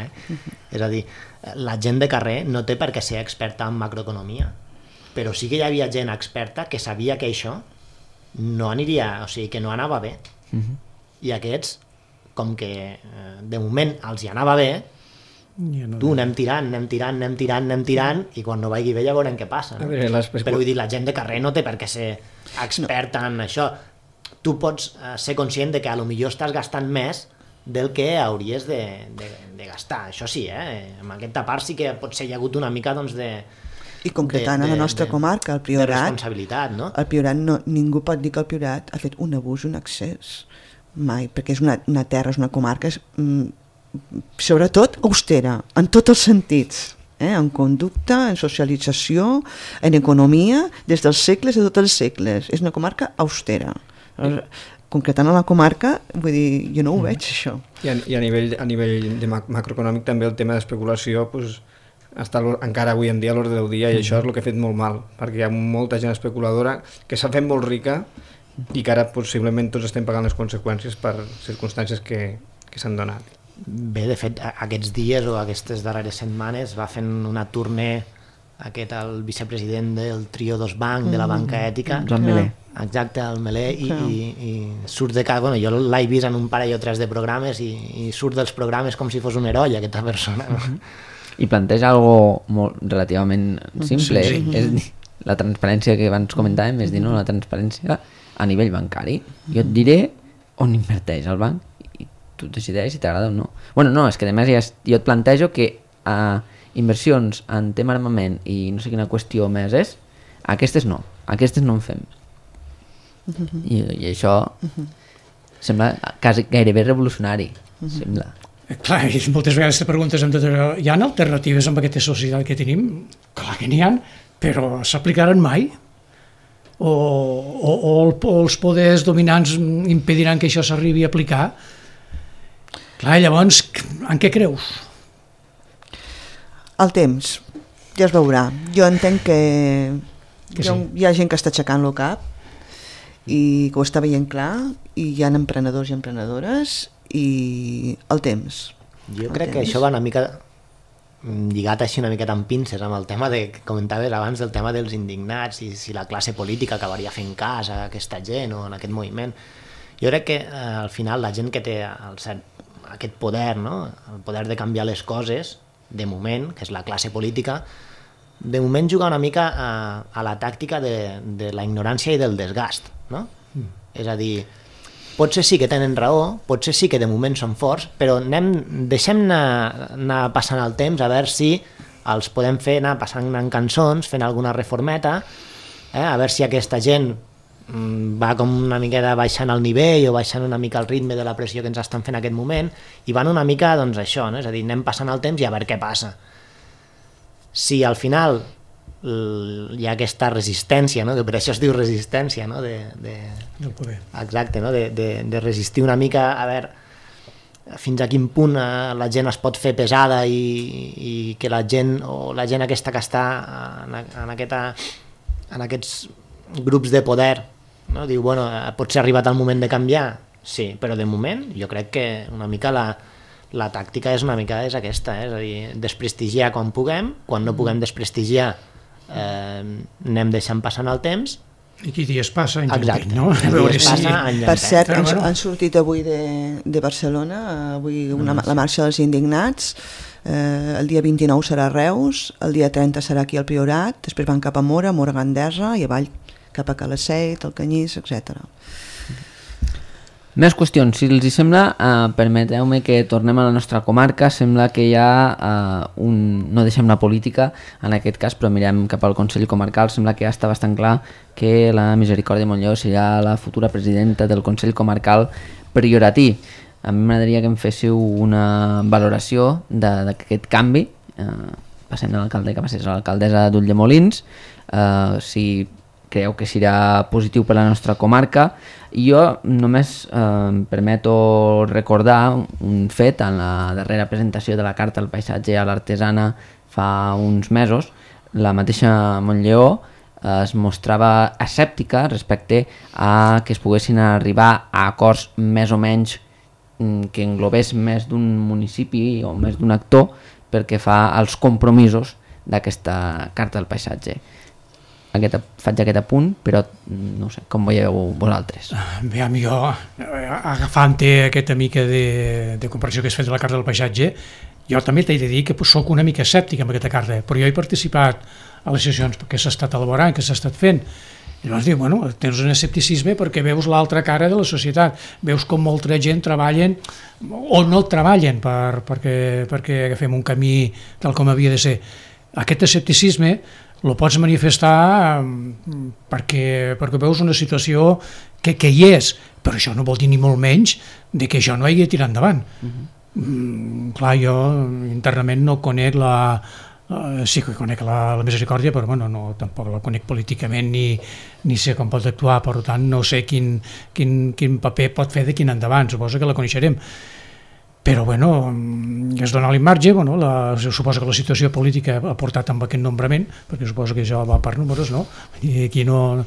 És a dir, la gent de carrer no té per què ser experta en macroeconomia, però sí que hi havia gent experta que sabia que això no aniria, o sigui, que no anava bé. I aquests, com que de moment els hi anava bé, anem tirant, i quan no vagi bé ja veurem què passa. No? Però vull dir, la gent de carrer no té per què ser experta en això. Tu pots ser conscient de que a lo millor estàs gastant més del que hauries de gastar. Això sí, en aquesta part sí que potser hi ha hagut una mica doncs, i concretant a la nostra comarca, el Priorat, de responsabilitat, no? El Priorat ningú pot dir que el Priorat ha fet un abús, un excés. Mai, perquè és una terra, és una comarca sobretot austera, en tots els sentits, en conducta, en socialització, en economia, des dels segles de tots els segles. És una comarca austera. Concretant a la comarca, vull dir, jo no ho veig, això. I a nivell de macroeconòmic també el tema d'especulació està encara avui en dia a l'ordre del dia, i això és el que ha fet molt mal, perquè hi ha molta gent especuladora que s'ha fet molt rica i que ara possiblement tots estem pagant les conseqüències per circumstàncies que s'han donat. Bé, de fet, aquests dies o aquestes darreres setmanes va fent una tournée el vicepresident del trio dos banc, de la banca ètica, Joan Melé. Exacte, el Melé, i surt de casa, jo l'he vist en un parell o tres de programes i surt dels programes com si fos un heroi, aquesta persona. I planteja algo molt relativament simple, és la transparència que abans comentàvem, és dir, no, la transparència a nivell bancari. Jo et diré on inverteix el banc i tu decideix si t'agrada o no. Bueno, no, és que a més jo et plantejo que inversions en tema armament i no sé quina qüestió més és, aquestes no en fem. I això sembla quasi gairebé revolucionari, sembla. Clar, i moltes vegades te preguntes hi ha alternatives amb aquesta societat que tenim? Clar que n'hi ha, però s'aplicaran mai? O els poders dominants impediran que això s'arribi a aplicar? Clar, llavors, en què creus? El temps, ja es veurà. Jo entenc que hi ha gent que està aixecant el cap i que ho està veient clar, i hi ha emprenedors i emprenedores, i el temps. Jo crec que això va una mica lligat així una miqueta amb pinces amb el tema que comentaves abans, del tema dels indignats i si la classe política acabaria fent cas a aquesta gent o en aquest moviment. Jo crec que al final la gent que té aquest poder, no? El poder de canviar les coses, de moment, que és la classe política, de moment juga una mica a la tàctica de la ignorància i del desgast, no? És a dir, potser sí que tenen raó, potser sí que de moment són forts, però deixem anar passant el temps a veure si els podem fer anar passant en cançons, fent alguna reformeta, a veure si aquesta gent va com una miqueta baixant el nivell o baixant una mica el ritme de la pressió que ens estan fent en aquest moment, i van una mica, doncs això, no? És a dir, anem passant el temps i a veure què passa. Si al final hi ha aquesta resistència, no? Que per això es diu resistència, no? Exacte, no? De resistir una mica, a veure fins a quin punt la gent es pot fer pesada i que la gent aquesta que està en aquests grups de poder, no? Diu, bueno, potser ha arribat el moment de canviar, sí, però de moment jo crec que una mica la tàctica és aquesta, és a dir, desprestigiar quan puguem, quan no puguem desprestigiar anem deixant passant el temps. I qui dies passa, any Exacte. no? Per cert, han sortit avui de Barcelona, avui la marxa dels indignats, el dia 29 serà a Reus, el dia 30 serà aquí al Priorat, després van cap a Mora Gandesa, i avall cap a Calaceit, el Canyís, etc. Més qüestions, si els hi sembla, permeteu-me que tornem a la nostra comarca. Sembla que hi ha no deixem la política en aquest cas, però mirem cap al Consell Comarcal. Sembla que ja està bastant clar que la Misericòrdia Montllor serà la futura presidenta del Consell Comarcal prioratí. A mi m'agradaria que em féssiu una valoració d'aquest canvi. Passem de l'alcalde que va ser l'alcaldessa d'Ulldemolins, si creu que serà positiu per la nostra comarca. I jo només em permeto recordar un fet en la darrera presentació de la Carta al Paisatge a l'Artesana fa uns mesos. La mateixa Montllor es mostrava escèptica respecte a que es poguessin arribar a acords més o menys que englobés més d'un municipi o més d'un actor perquè fa els compromisos d'aquesta Carta al Paisatge. Faig aquest apunt, però no sé, com veieu vosaltres? Bé, a mi jo, agafant-te aquesta mica de comparació que has fet de la Carta del Paisatge, jo també t'he de dir que soc una mica escèptic amb aquesta carta, però jo he participat a les sessions que s'ha estat elaborant, que s'ha estat fent, i llavors diu, bueno, tens un escepticisme perquè veus l'altra cara de la societat, veus com molta gent treballen o no treballen perquè agafem un camí tal com havia de ser. Aquest escepticisme el pots manifestar perquè veus una situació que hi és, però això no vol dir ni molt menys de que això no hagi de tirar endavant. Clar, jo internament no conec sí que conec la Misericòrdia, però bueno, no, tampoc la conec políticament ni sé com pot actuar, per tant no sé quin paper pot fer de quin endavant, suposo que la coneixerem. però bueno, es dona l'immarge, bueno, suposo que la situació política ha portat amb aquest nombrament, perquè suposo que això va per números, no? I aquí no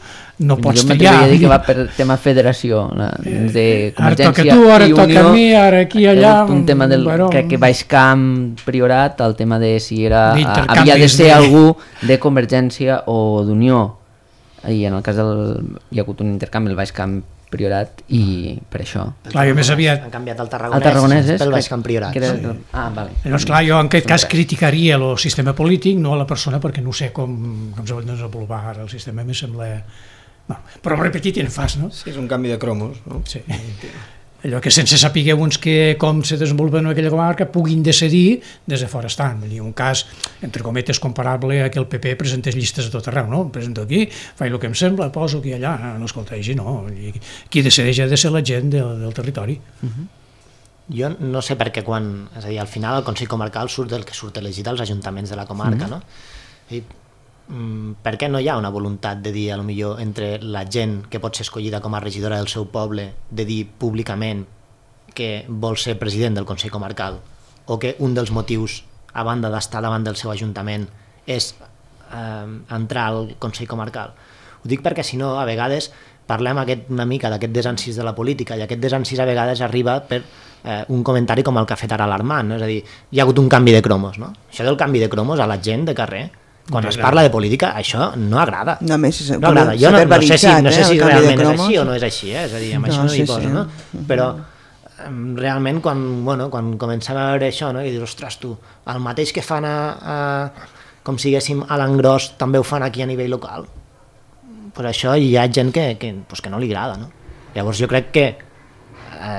pots triar. Jo m'atreviria a dir que va per tema federació, de Convergència ara toca tu, ara i toca Unió, a mi, ara aquí, allà... Un tema del, bueno, crec que Baixcamp, Priorat, el tema de si d'intercanvis havia de ser algú de Convergència o d'Unió, i en el cas hi ha hagut un intercanvi, el Baixcamp Priorat, i per això. Clar, jo més aviat... Han canviat el Tarragonès pel Baixcamp Priorat. Sí. Ah, vale. Llavors, clar, jo en aquest cas criticaria el sistema polític, no a la persona, perquè no sé com s'ha de desenvolupar ara el sistema, em sembla... No, però repetit en fas, no? Sí, és un canvi de cromos, no? Sí. Allò que sense saber uns com se desenvolupen en aquella comarca puguin decidir des de fora estant. Vull dir, un cas, entre cometes, comparable a que el PP presentés llistes a tot arreu, no? Em presento aquí, faig el que em sembla, poso aquí allà, no escolta, així no. Qui decideix ha de ser la gent del territori. Jo no sé per què quan... És a dir, al final el Consell Comarcal surt del que surt elegit als ajuntaments de la comarca, no? I, per què no hi ha una voluntat de dir, a lo millor, entre la gent que pot ser escollida com a regidora del seu poble, de dir públicament que vol ser president del Consell Comarcal, o que un dels motius, a banda d'estar davant del seu ajuntament, és entrar al Consell Comarcal? Ho dic perquè, si no, a vegades parlem una mica d'aquest desencís de la política, i aquest desencís a vegades arriba per un comentari com el que ha fet ara l'Armand, no? És a dir, hi ha hagut un canvi de cromos, no? Això del canvi de cromos a la gent de carrer, quan es parla de política, això no agrada. No, més, no agrada. Jo no sé si realment és així o no és així, és a dir, amb això no hi poso, no? Però realment quan comencem a veure això, no? I dius, ostres, tu, el mateix que fan com si diguéssim a l'engròs també ho fan aquí a nivell local, pues això hi ha gent que no li agrada, no? Llavors jo crec que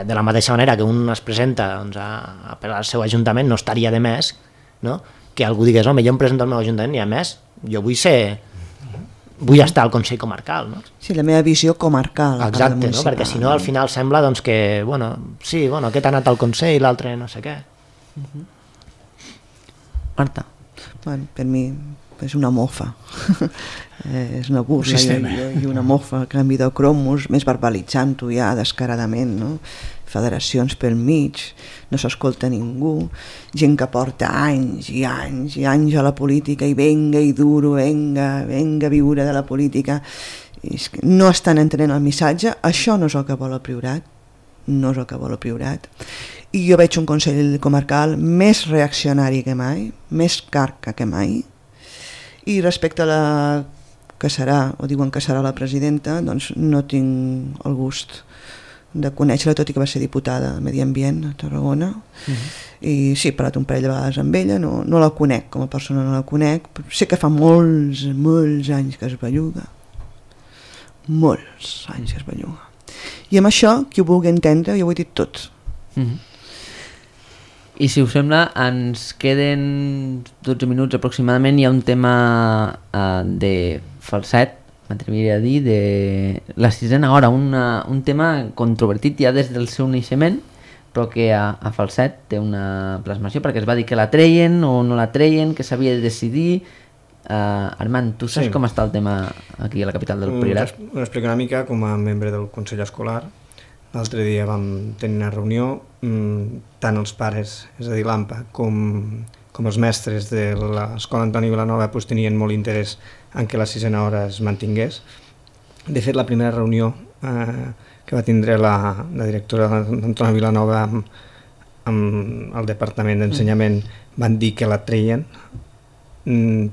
de la mateixa manera que un es presenta doncs, per al seu ajuntament, no estaria de més, no? Que algú digués, home, jo em presento al meu ajuntament i a més jo vull estar al Consell Comarcal, no? Sí, la meva visió comarcal. Exacte, no? Perquè si no al final sembla doncs, que, aquest ha anat al Consell i l'altre no sé què. Marta. Bueno, per mi és una mofa. És una burla i una mofa, canvi de cromos, més verbalitzant-ho ja descaradament, no? Federacions pel mig, no s'escolta ningú, gent que porta anys i anys i anys a la política i venga i duro, venga a viure de la política. No estan entenent el missatge, això no és el que vol el Priorat, no és el que vol el Priorat. I jo veig un Consell Comarcal més reaccionari que mai, més carca que mai, i respecte a la que serà, o diuen que serà la presidenta, doncs no tinc el gust de conèixer-la, tot i que va ser diputada a Medi Ambient a Tarragona. I sí, he parlat un parell de vegades amb ella, no la conec, com a persona no la conec, però sé que fa molts anys que es belluga, molts anys que es belluga. I amb això, qui ho vulgui entendre, jo ho he dit tot. I si us sembla, ens queden 12 minuts aproximadament. Hi ha un tema de falset, m'atreviria a dir, de la sisena hora, un tema controvertit ja des del seu naixement, però que a Falset té una plasmació, perquè es va dir que la treien o no la treien, que s'havia de decidir. Armand, tu saps com està el tema aquí a la capital del Priorat? Ho explico una mica com a membre del Consell Escolar. L'altre dia vam tenir una reunió, tant els pares, és a dir, l'AMPA, com els mestres de l'Escola Antoni Vilanova tenien molt interès en que la sisena hora es mantingués. De fet, la primera reunió que va tindre la directora d'Antoni Vilanova amb el Departament d'Ensenyament van dir que la treien,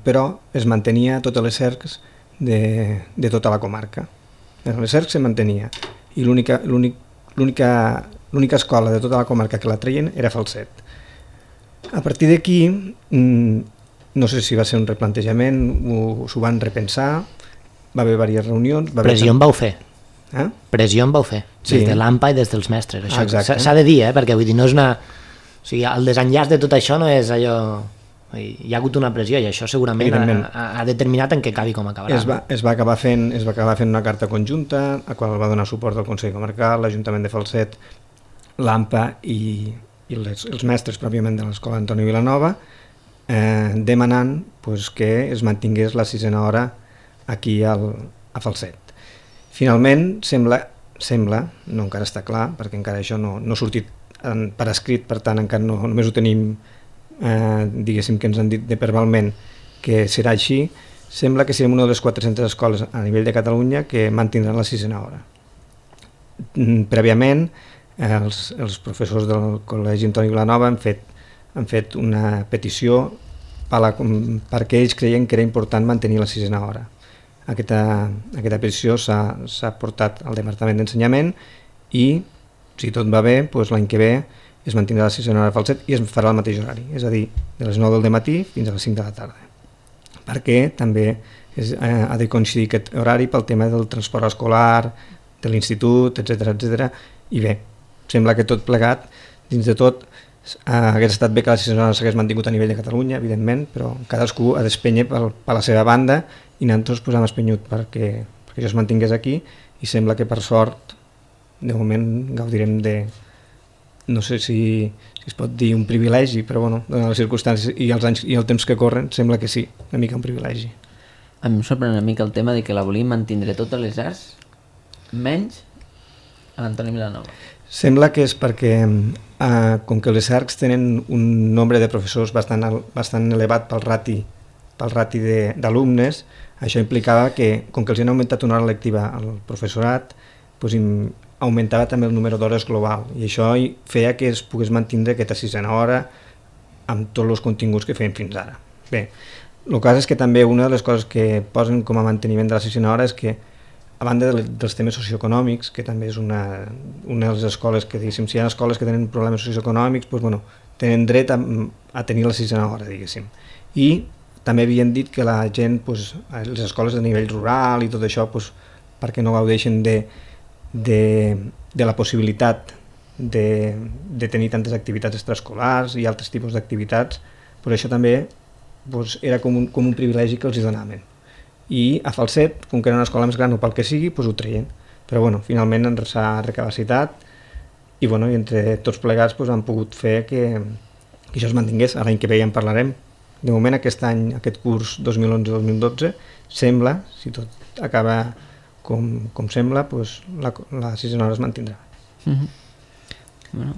però es mantenia totes les cercs de tota la comarca. Les cercs se mantenia i l'única escola de tota la comarca que la treien era Falset. A partir d'aquí, no sé si va ser un replantejament, s'ho van repensar, va haver diverses reunions... Pressió en vau fer. Pressió en vau fer, sí. Des de l'AMPA i des dels mestres. S'ha de dir, perquè vull dir, no és una... O sigui, el desenllaç de tot això no és allò... Hi ha hagut una pressió i això segurament ha determinat en què acabi com acabarà. Es va acabar fent una carta conjunta a qual va donar suport el Consell Comarcal, l'Ajuntament de Falset, l'AMPA i els mestres pròpiament de l'Escola Antoni Vilanova, demanant que es mantingués la sisena hora aquí a Falset. Finalment sembla, no encara està clar, perquè encara això no ha sortit per escrit, per tant encara no, només ho tenim diguéssim que ens han dit verbalment que serà així. Sembla que serem una de les 400 escoles a nivell de Catalunya que mantindran la 6a hora. Prèviament, els professors del Col·legi Antoni Vilanova han fet una petició perquè ells creien que era important mantenir la 6a hora. Aquesta petició s'ha portat al Departament d'Ensenyament i, si tot va bé, doncs l'any que ve es mantindrà la 6a hora Falset i es farà el mateix horari, és a dir, de les 9 del matí fins a les 5 de la tarda. Perquè també ha de coincidir aquest horari pel tema del transport escolar, de l'institut, etc. I bé, sembla que tot plegat, dins de tot, hagués estat bé que la 6a hora s'hagués mantingut a nivell de Catalunya, evidentment, però cadascú ha d'espènyer per la seva banda i nosaltres hem espenyut perquè això es mantingués aquí i sembla que per sort, de moment, gaudirem de, no sé si es pot dir un privilegi, però bueno, donant les circumstàncies i els anys i el temps que corren, sembla que sí, una mica un privilegi. A mi em sorprèn una mica el tema de que la volíem mantindre totes les arts, menys a l'Antoni Vilanova. Sembla que és perquè, com que les arcs tenen un nombre de professors bastant elevat pel rati d'alumnes, això implicava que, com que els han augmentat una hora lectiva al professorat, doncs augmentava també el número d'hores global i això feia que es pogués mantindre aquesta 6a hora amb tots els continguts que feien fins ara. Bé, el cas és que també una de les coses que posen com a manteniment de la 6a hora és que, a banda dels temes socioeconòmics, que també és una de les escoles que, diguéssim, si hi ha escoles que tenen problemes socioeconòmics, doncs, bueno, tenen dret a tenir la 6a hora, diguéssim. I també havien dit que la gent, doncs, les escoles de nivell rural i tot això, doncs, perquè no gaudeixen de la possibilitat de tenir tantes activitats extraescolars i altres tipus d'activitats, però això també era com un privilegi que els donaven. I a Falset, com que era una escola més gran o pel que sigui, ho treien. Però bueno, finalment ens s'ha recapacitat i entre tots plegats han pogut fer que això es mantingués. L'any que ve ja en parlarem. De moment aquest any, aquest curs 2011-2012, sembla, si tot acaba com sembla, la 6a hora es mantindrà. Bueno,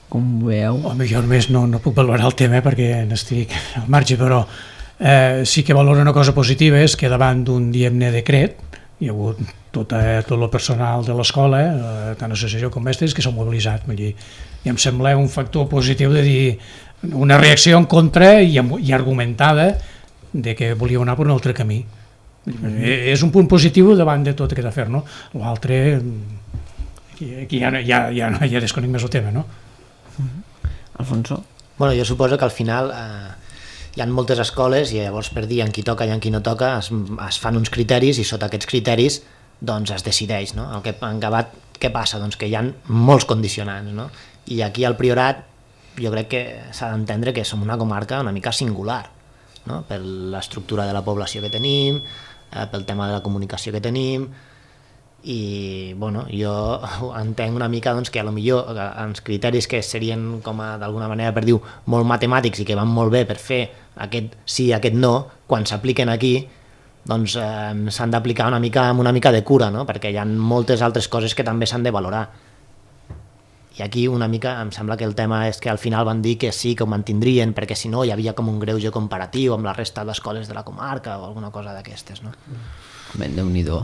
com veieu... Home, jo només no puc valorar el tema perquè n'estic al marge, però sí que valoro una cosa positiva, és que davant d'un, diguem-ne, decret, hi ha hagut tot el personal de l'escola, tant associació com mestres, que s'han mobilitzat. I em sembla un factor positiu de dir una reacció en contra i argumentada de que volíeu anar per un altre camí. És un punt positiu davant de tot aquest afer, no? L'altre, aquí ja desconec més el tema, no? Alfonso? Bueno, jo suposo que al final hi ha moltes escoles i llavors per dir en qui toca i en qui no toca es fan uns criteris i sota aquests criteris doncs es decideix, no? En Gavat què passa? Doncs que hi ha molts condicionants, no? I aquí al Priorat jo crec que s'ha d'entendre que som una comarca una mica singular, no? Per l'estructura de la població que tenim, pel tema de la comunicació que tenim i bueno, jo entenc una mica doncs, que a lo millor els criteris que serien com d'alguna manera per dir molt matemàtics i que van molt bé per fer aquest sí i aquest no, quan s'apliquen aquí doncs s'han d'aplicar amb una mica de cura, no? Perquè hi ha moltes altres coses que també s'han de valorar. I aquí una mica em sembla que el tema és que al final van dir que sí, que ho mantindrien, perquè si no hi havia com un greuge comparatiu amb la resta d'escoles de la comarca o alguna cosa d'aquestes, no? Ben, Déu-n'hi-do.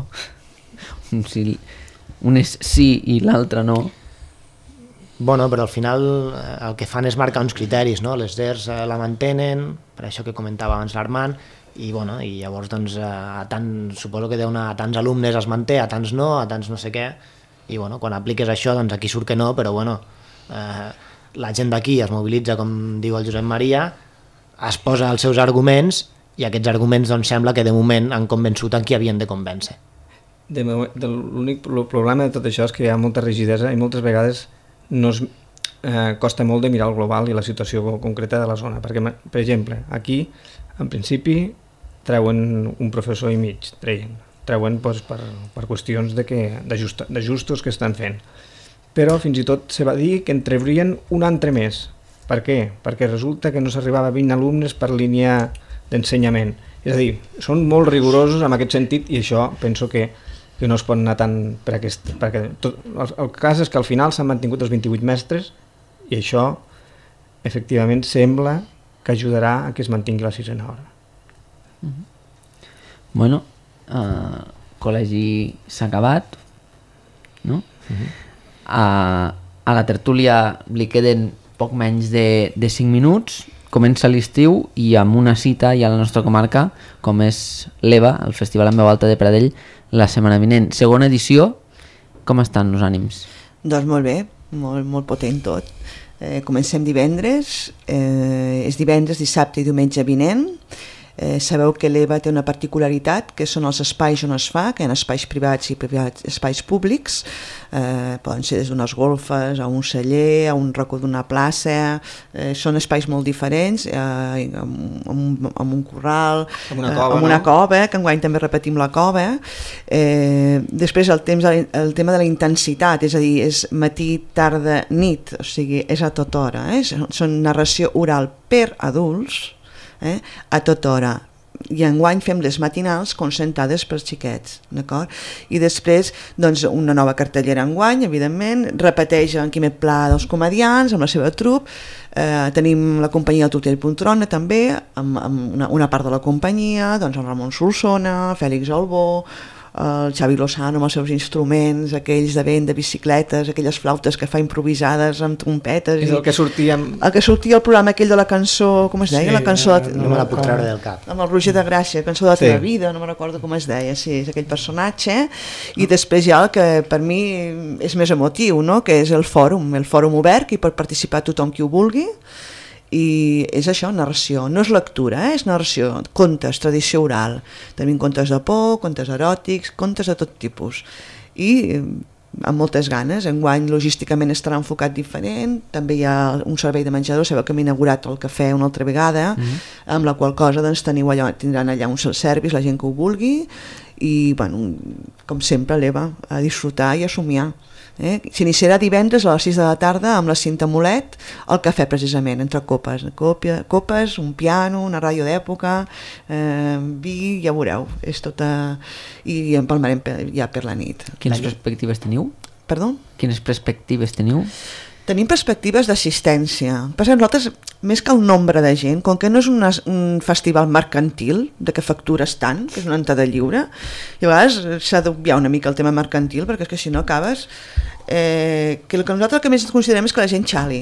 Un és sí i l'altre no. Bueno, però al final el que fan és marcar uns criteris, no? Les DERs la mantenen, per això que comentava abans l'Armand, i llavors doncs, suposo que a tants alumnes es manté, a tants no, a tants no sé què, i quan apliques això, doncs aquí surt que no, però la gent d'aquí es mobilitza, com diu el Josep Maria, es posa els seus arguments i aquests arguments doncs sembla que de moment han convençut en qui havien de convèncer. L'únic problema de tot això és que hi ha molta rigidesa i moltes vegades costa molt de mirar el global i la situació concreta de la zona, perquè, per exemple, aquí, en principi, treuen un professor i mig, treuen per qüestions d'ajustos que estan fent. Però fins i tot se va dir que en treurien un altre més. Per què? Perquè resulta que no s'arribava a 20 alumnes per línia d'ensenyament. És a dir, són molt rigorosos en aquest sentit i això penso que no es pot anar tant per aquest... Perquè el cas és que al final s'han mantingut els 28 mestres I això, efectivament, sembla que ajudarà a que es mantingui la sisena hora. Bueno, col·legi s'ha acabat, no? A la tertúlia li queden poc menys de 5 minuts, comença l'estiu i amb una cita ja a la nostra comarca, com és l'EVA, el Festival en Veu Alta de Pradell, la setmana vinent. Segona edició, com estan els ànims? Doncs molt bé, molt potent tot. Comencem divendres, és divendres, dissabte i diumenge vinent. Sabeu que l'EVA té una particularitat, que són els espais on es fa, que hi ha espais privats i espais públics, poden ser des d'unes golfes, a un celler, a un racó d'una plaça, són espais molt diferents, amb un corral, amb una cova, que enguany també repetim la cova. Després el tema de la intensitat, és a dir, és matí, tarda, nit, o sigui, és a tota hora, són narració oral per adults, a tota hora, i enguany fem les matinals concentrades pels xiquets, d'acord? I després, doncs, una nova cartellera enguany, evidentment, repeteix en Quimet Pla dels comedians, amb la seva trup, tenim la companyia Tutell Poltrona també, amb una part de la companyia, doncs el Ramon Solsona, Fèlix Albó, el Xavi Lozano amb els seus instruments, aquells de vent, de bicicletes, aquelles flautes que fa improvisades amb trompetes. És el que sortia... El que sortia al programa aquell de la cançó, com es deia? Sí, la cançó no me la puc treure del cap. Amb el Roger de Gràcia, cançó de la teva vida, no me recordo com es deia, sí, és aquell personatge. I després hi ha el que per mi és més emotiu, no? Que és el fòrum obert, que hi pot participar tothom qui ho vulgui, i és això, narració, no és lectura, és narració, contes, tradició oral, tenim contes de por, contes eròtics, contes de tot tipus, i amb moltes ganes. Enguany logísticament estarà enfocat diferent, també hi ha un servei de menjador, sabeu que hem inaugurat el cafè una altra vegada, amb la qual cosa doncs, tindran allà un self-service, la gent que ho vulgui, i bueno, com sempre l'EVA, a disfrutar i a somiar. S'iniciarà divendres a les 6 de la tarda amb la Cinta Molet, al cafè precisament, entre copes, un piano, una ràdio d'època, vi, ja veureu, és tota... i empalmarem ja per la nit. Quines perspectives teniu? Perdó? Quines perspectives teniu? Tenim perspectives d'assistència. Perquè nosaltres, més que el nombre de gent, com que no és un festival mercantil, de que factures tant, que és una entrada lliure, i a vegades s'ha d'obviar una mica el tema mercantil, perquè és que si no acabes... que el que nosaltres que més considerem és que la gent xali.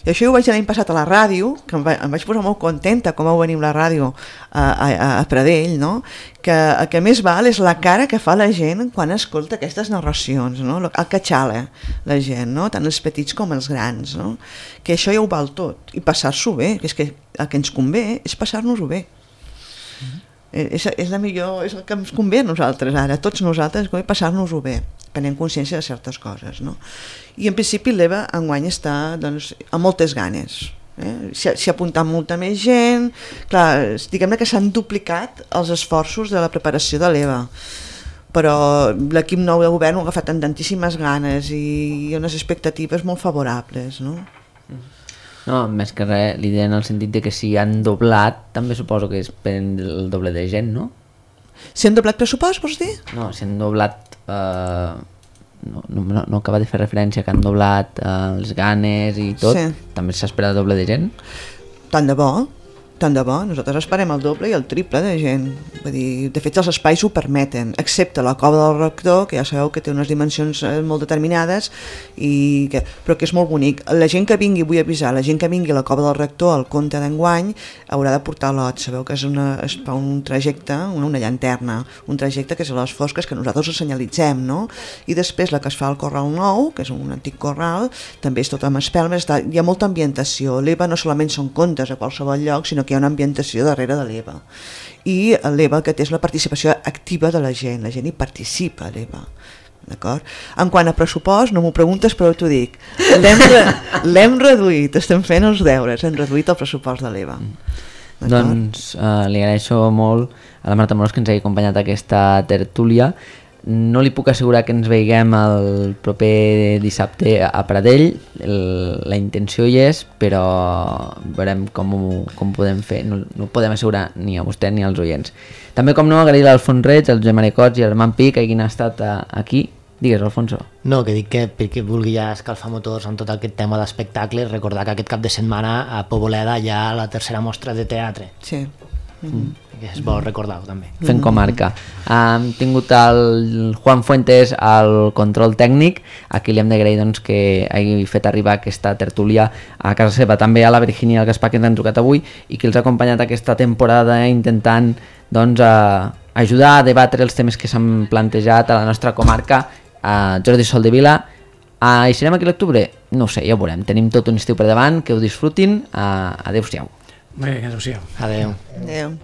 I això ho vaig l'any passat a la ràdio, que em vaig posar molt contenta com vau venir la ràdio a Pradell, no? Que el que més val és la cara que fa la gent quan escolta aquestes narracions, no? El que xala la gent, no? Tant els petits com els grans, no? Que això ja ho val tot, i passar-s'ho bé, que és que el que ens convé és passar-nos-ho bé. És la millor, és el que ens convé a nosaltres ara, tots nosaltres, passar-nos-ho bé, prenent consciència de certes coses, no? I en principi l'EVA enguany està doncs, amb moltes ganes, s'hi ha apuntat molta més gent, clar, diguem-ne que s'han duplicat els esforços de la preparació de l'EVA, però l'equip nou de govern ho ha agafat amb tantíssimes ganes i hi ha unes expectatives molt favorables, no? No, més que res, l'idea en el sentit de que si han doblat, també suposo que és per el doble de gent, no? Si han doblat pressupost, vols dir? No, si han doblat... No acaba de fer referència que han doblat els ganes i tot, sí. També s'espera el doble de gent? Tant de bo. Nosaltres esperem el doble i el triple de gent. Vull dir, de fet, els espais ho permeten, excepte la cova del rector, que ja sabeu que té unes dimensions molt determinades, però que és molt bonic. La gent que vingui, vull avisar, la gent que vingui a la cova del rector, al conte d'enguany, haurà de portar lot. Sabeu que es fa un trajecte, una llanterna, un trajecte que és a les fosques que nosaltres ho senyalitzem, no? I després la que es fa al Corral Nou, que és un antic corral, també és tot amb espelmes, hi ha molta ambientació. L'EVA no solament són contes a qualsevol lloc, sinó que hi ha una ambientació darrere de l'EVA. I l'EVA el que té és la participació activa de la gent hi participa a l'EVA. D'acord? En quant a pressupost, no m'ho preguntes però t'ho dic, l'hem reduït, estem fent els deures, hem reduït el pressupost de l'EVA. Doncs li agraeixo molt a la Marta Morós que ens hagi acompanyat a aquesta tertúlia. No li puc assegurar que ens veiguem el proper dissabte a Pradell, la intenció hi és, però veurem com podem fer, no podem assegurar ni a vostè ni als oients. També, com no, agrair l'Alfons Reig, el Josep Maria Cots i el Armand Pi que hagin estat aquí Digues, Alfonso. No, que dic que perquè vulgui ja escalfar motors en tot aquest tema d'espectacles, recordar que aquest cap de setmana a Poboleda hi ha la tercera mostra de teatre. Sí. Que és bo recordar-ho també. Fent comarca. Hem tingut el Juan Fuentes al control tècnic, a qui li hem d'agrair doncs, que hagi fet arribar aquesta tertúlia a casa seva. També a la Virginia i al Gaspar, que ens han trucat avui i que els ha acompanyat aquesta temporada intentant doncs, ajudar a debatre els temes que s'han plantejat a la nostra comarca. Jordi Soldevila, hi serem aquí a l'octubre? No ho sé, ja ho veurem. Tenim tot un estiu per davant, que ho disfrutin. Adéu-siau. Bé, adéu-siau. Adéu. Adéu.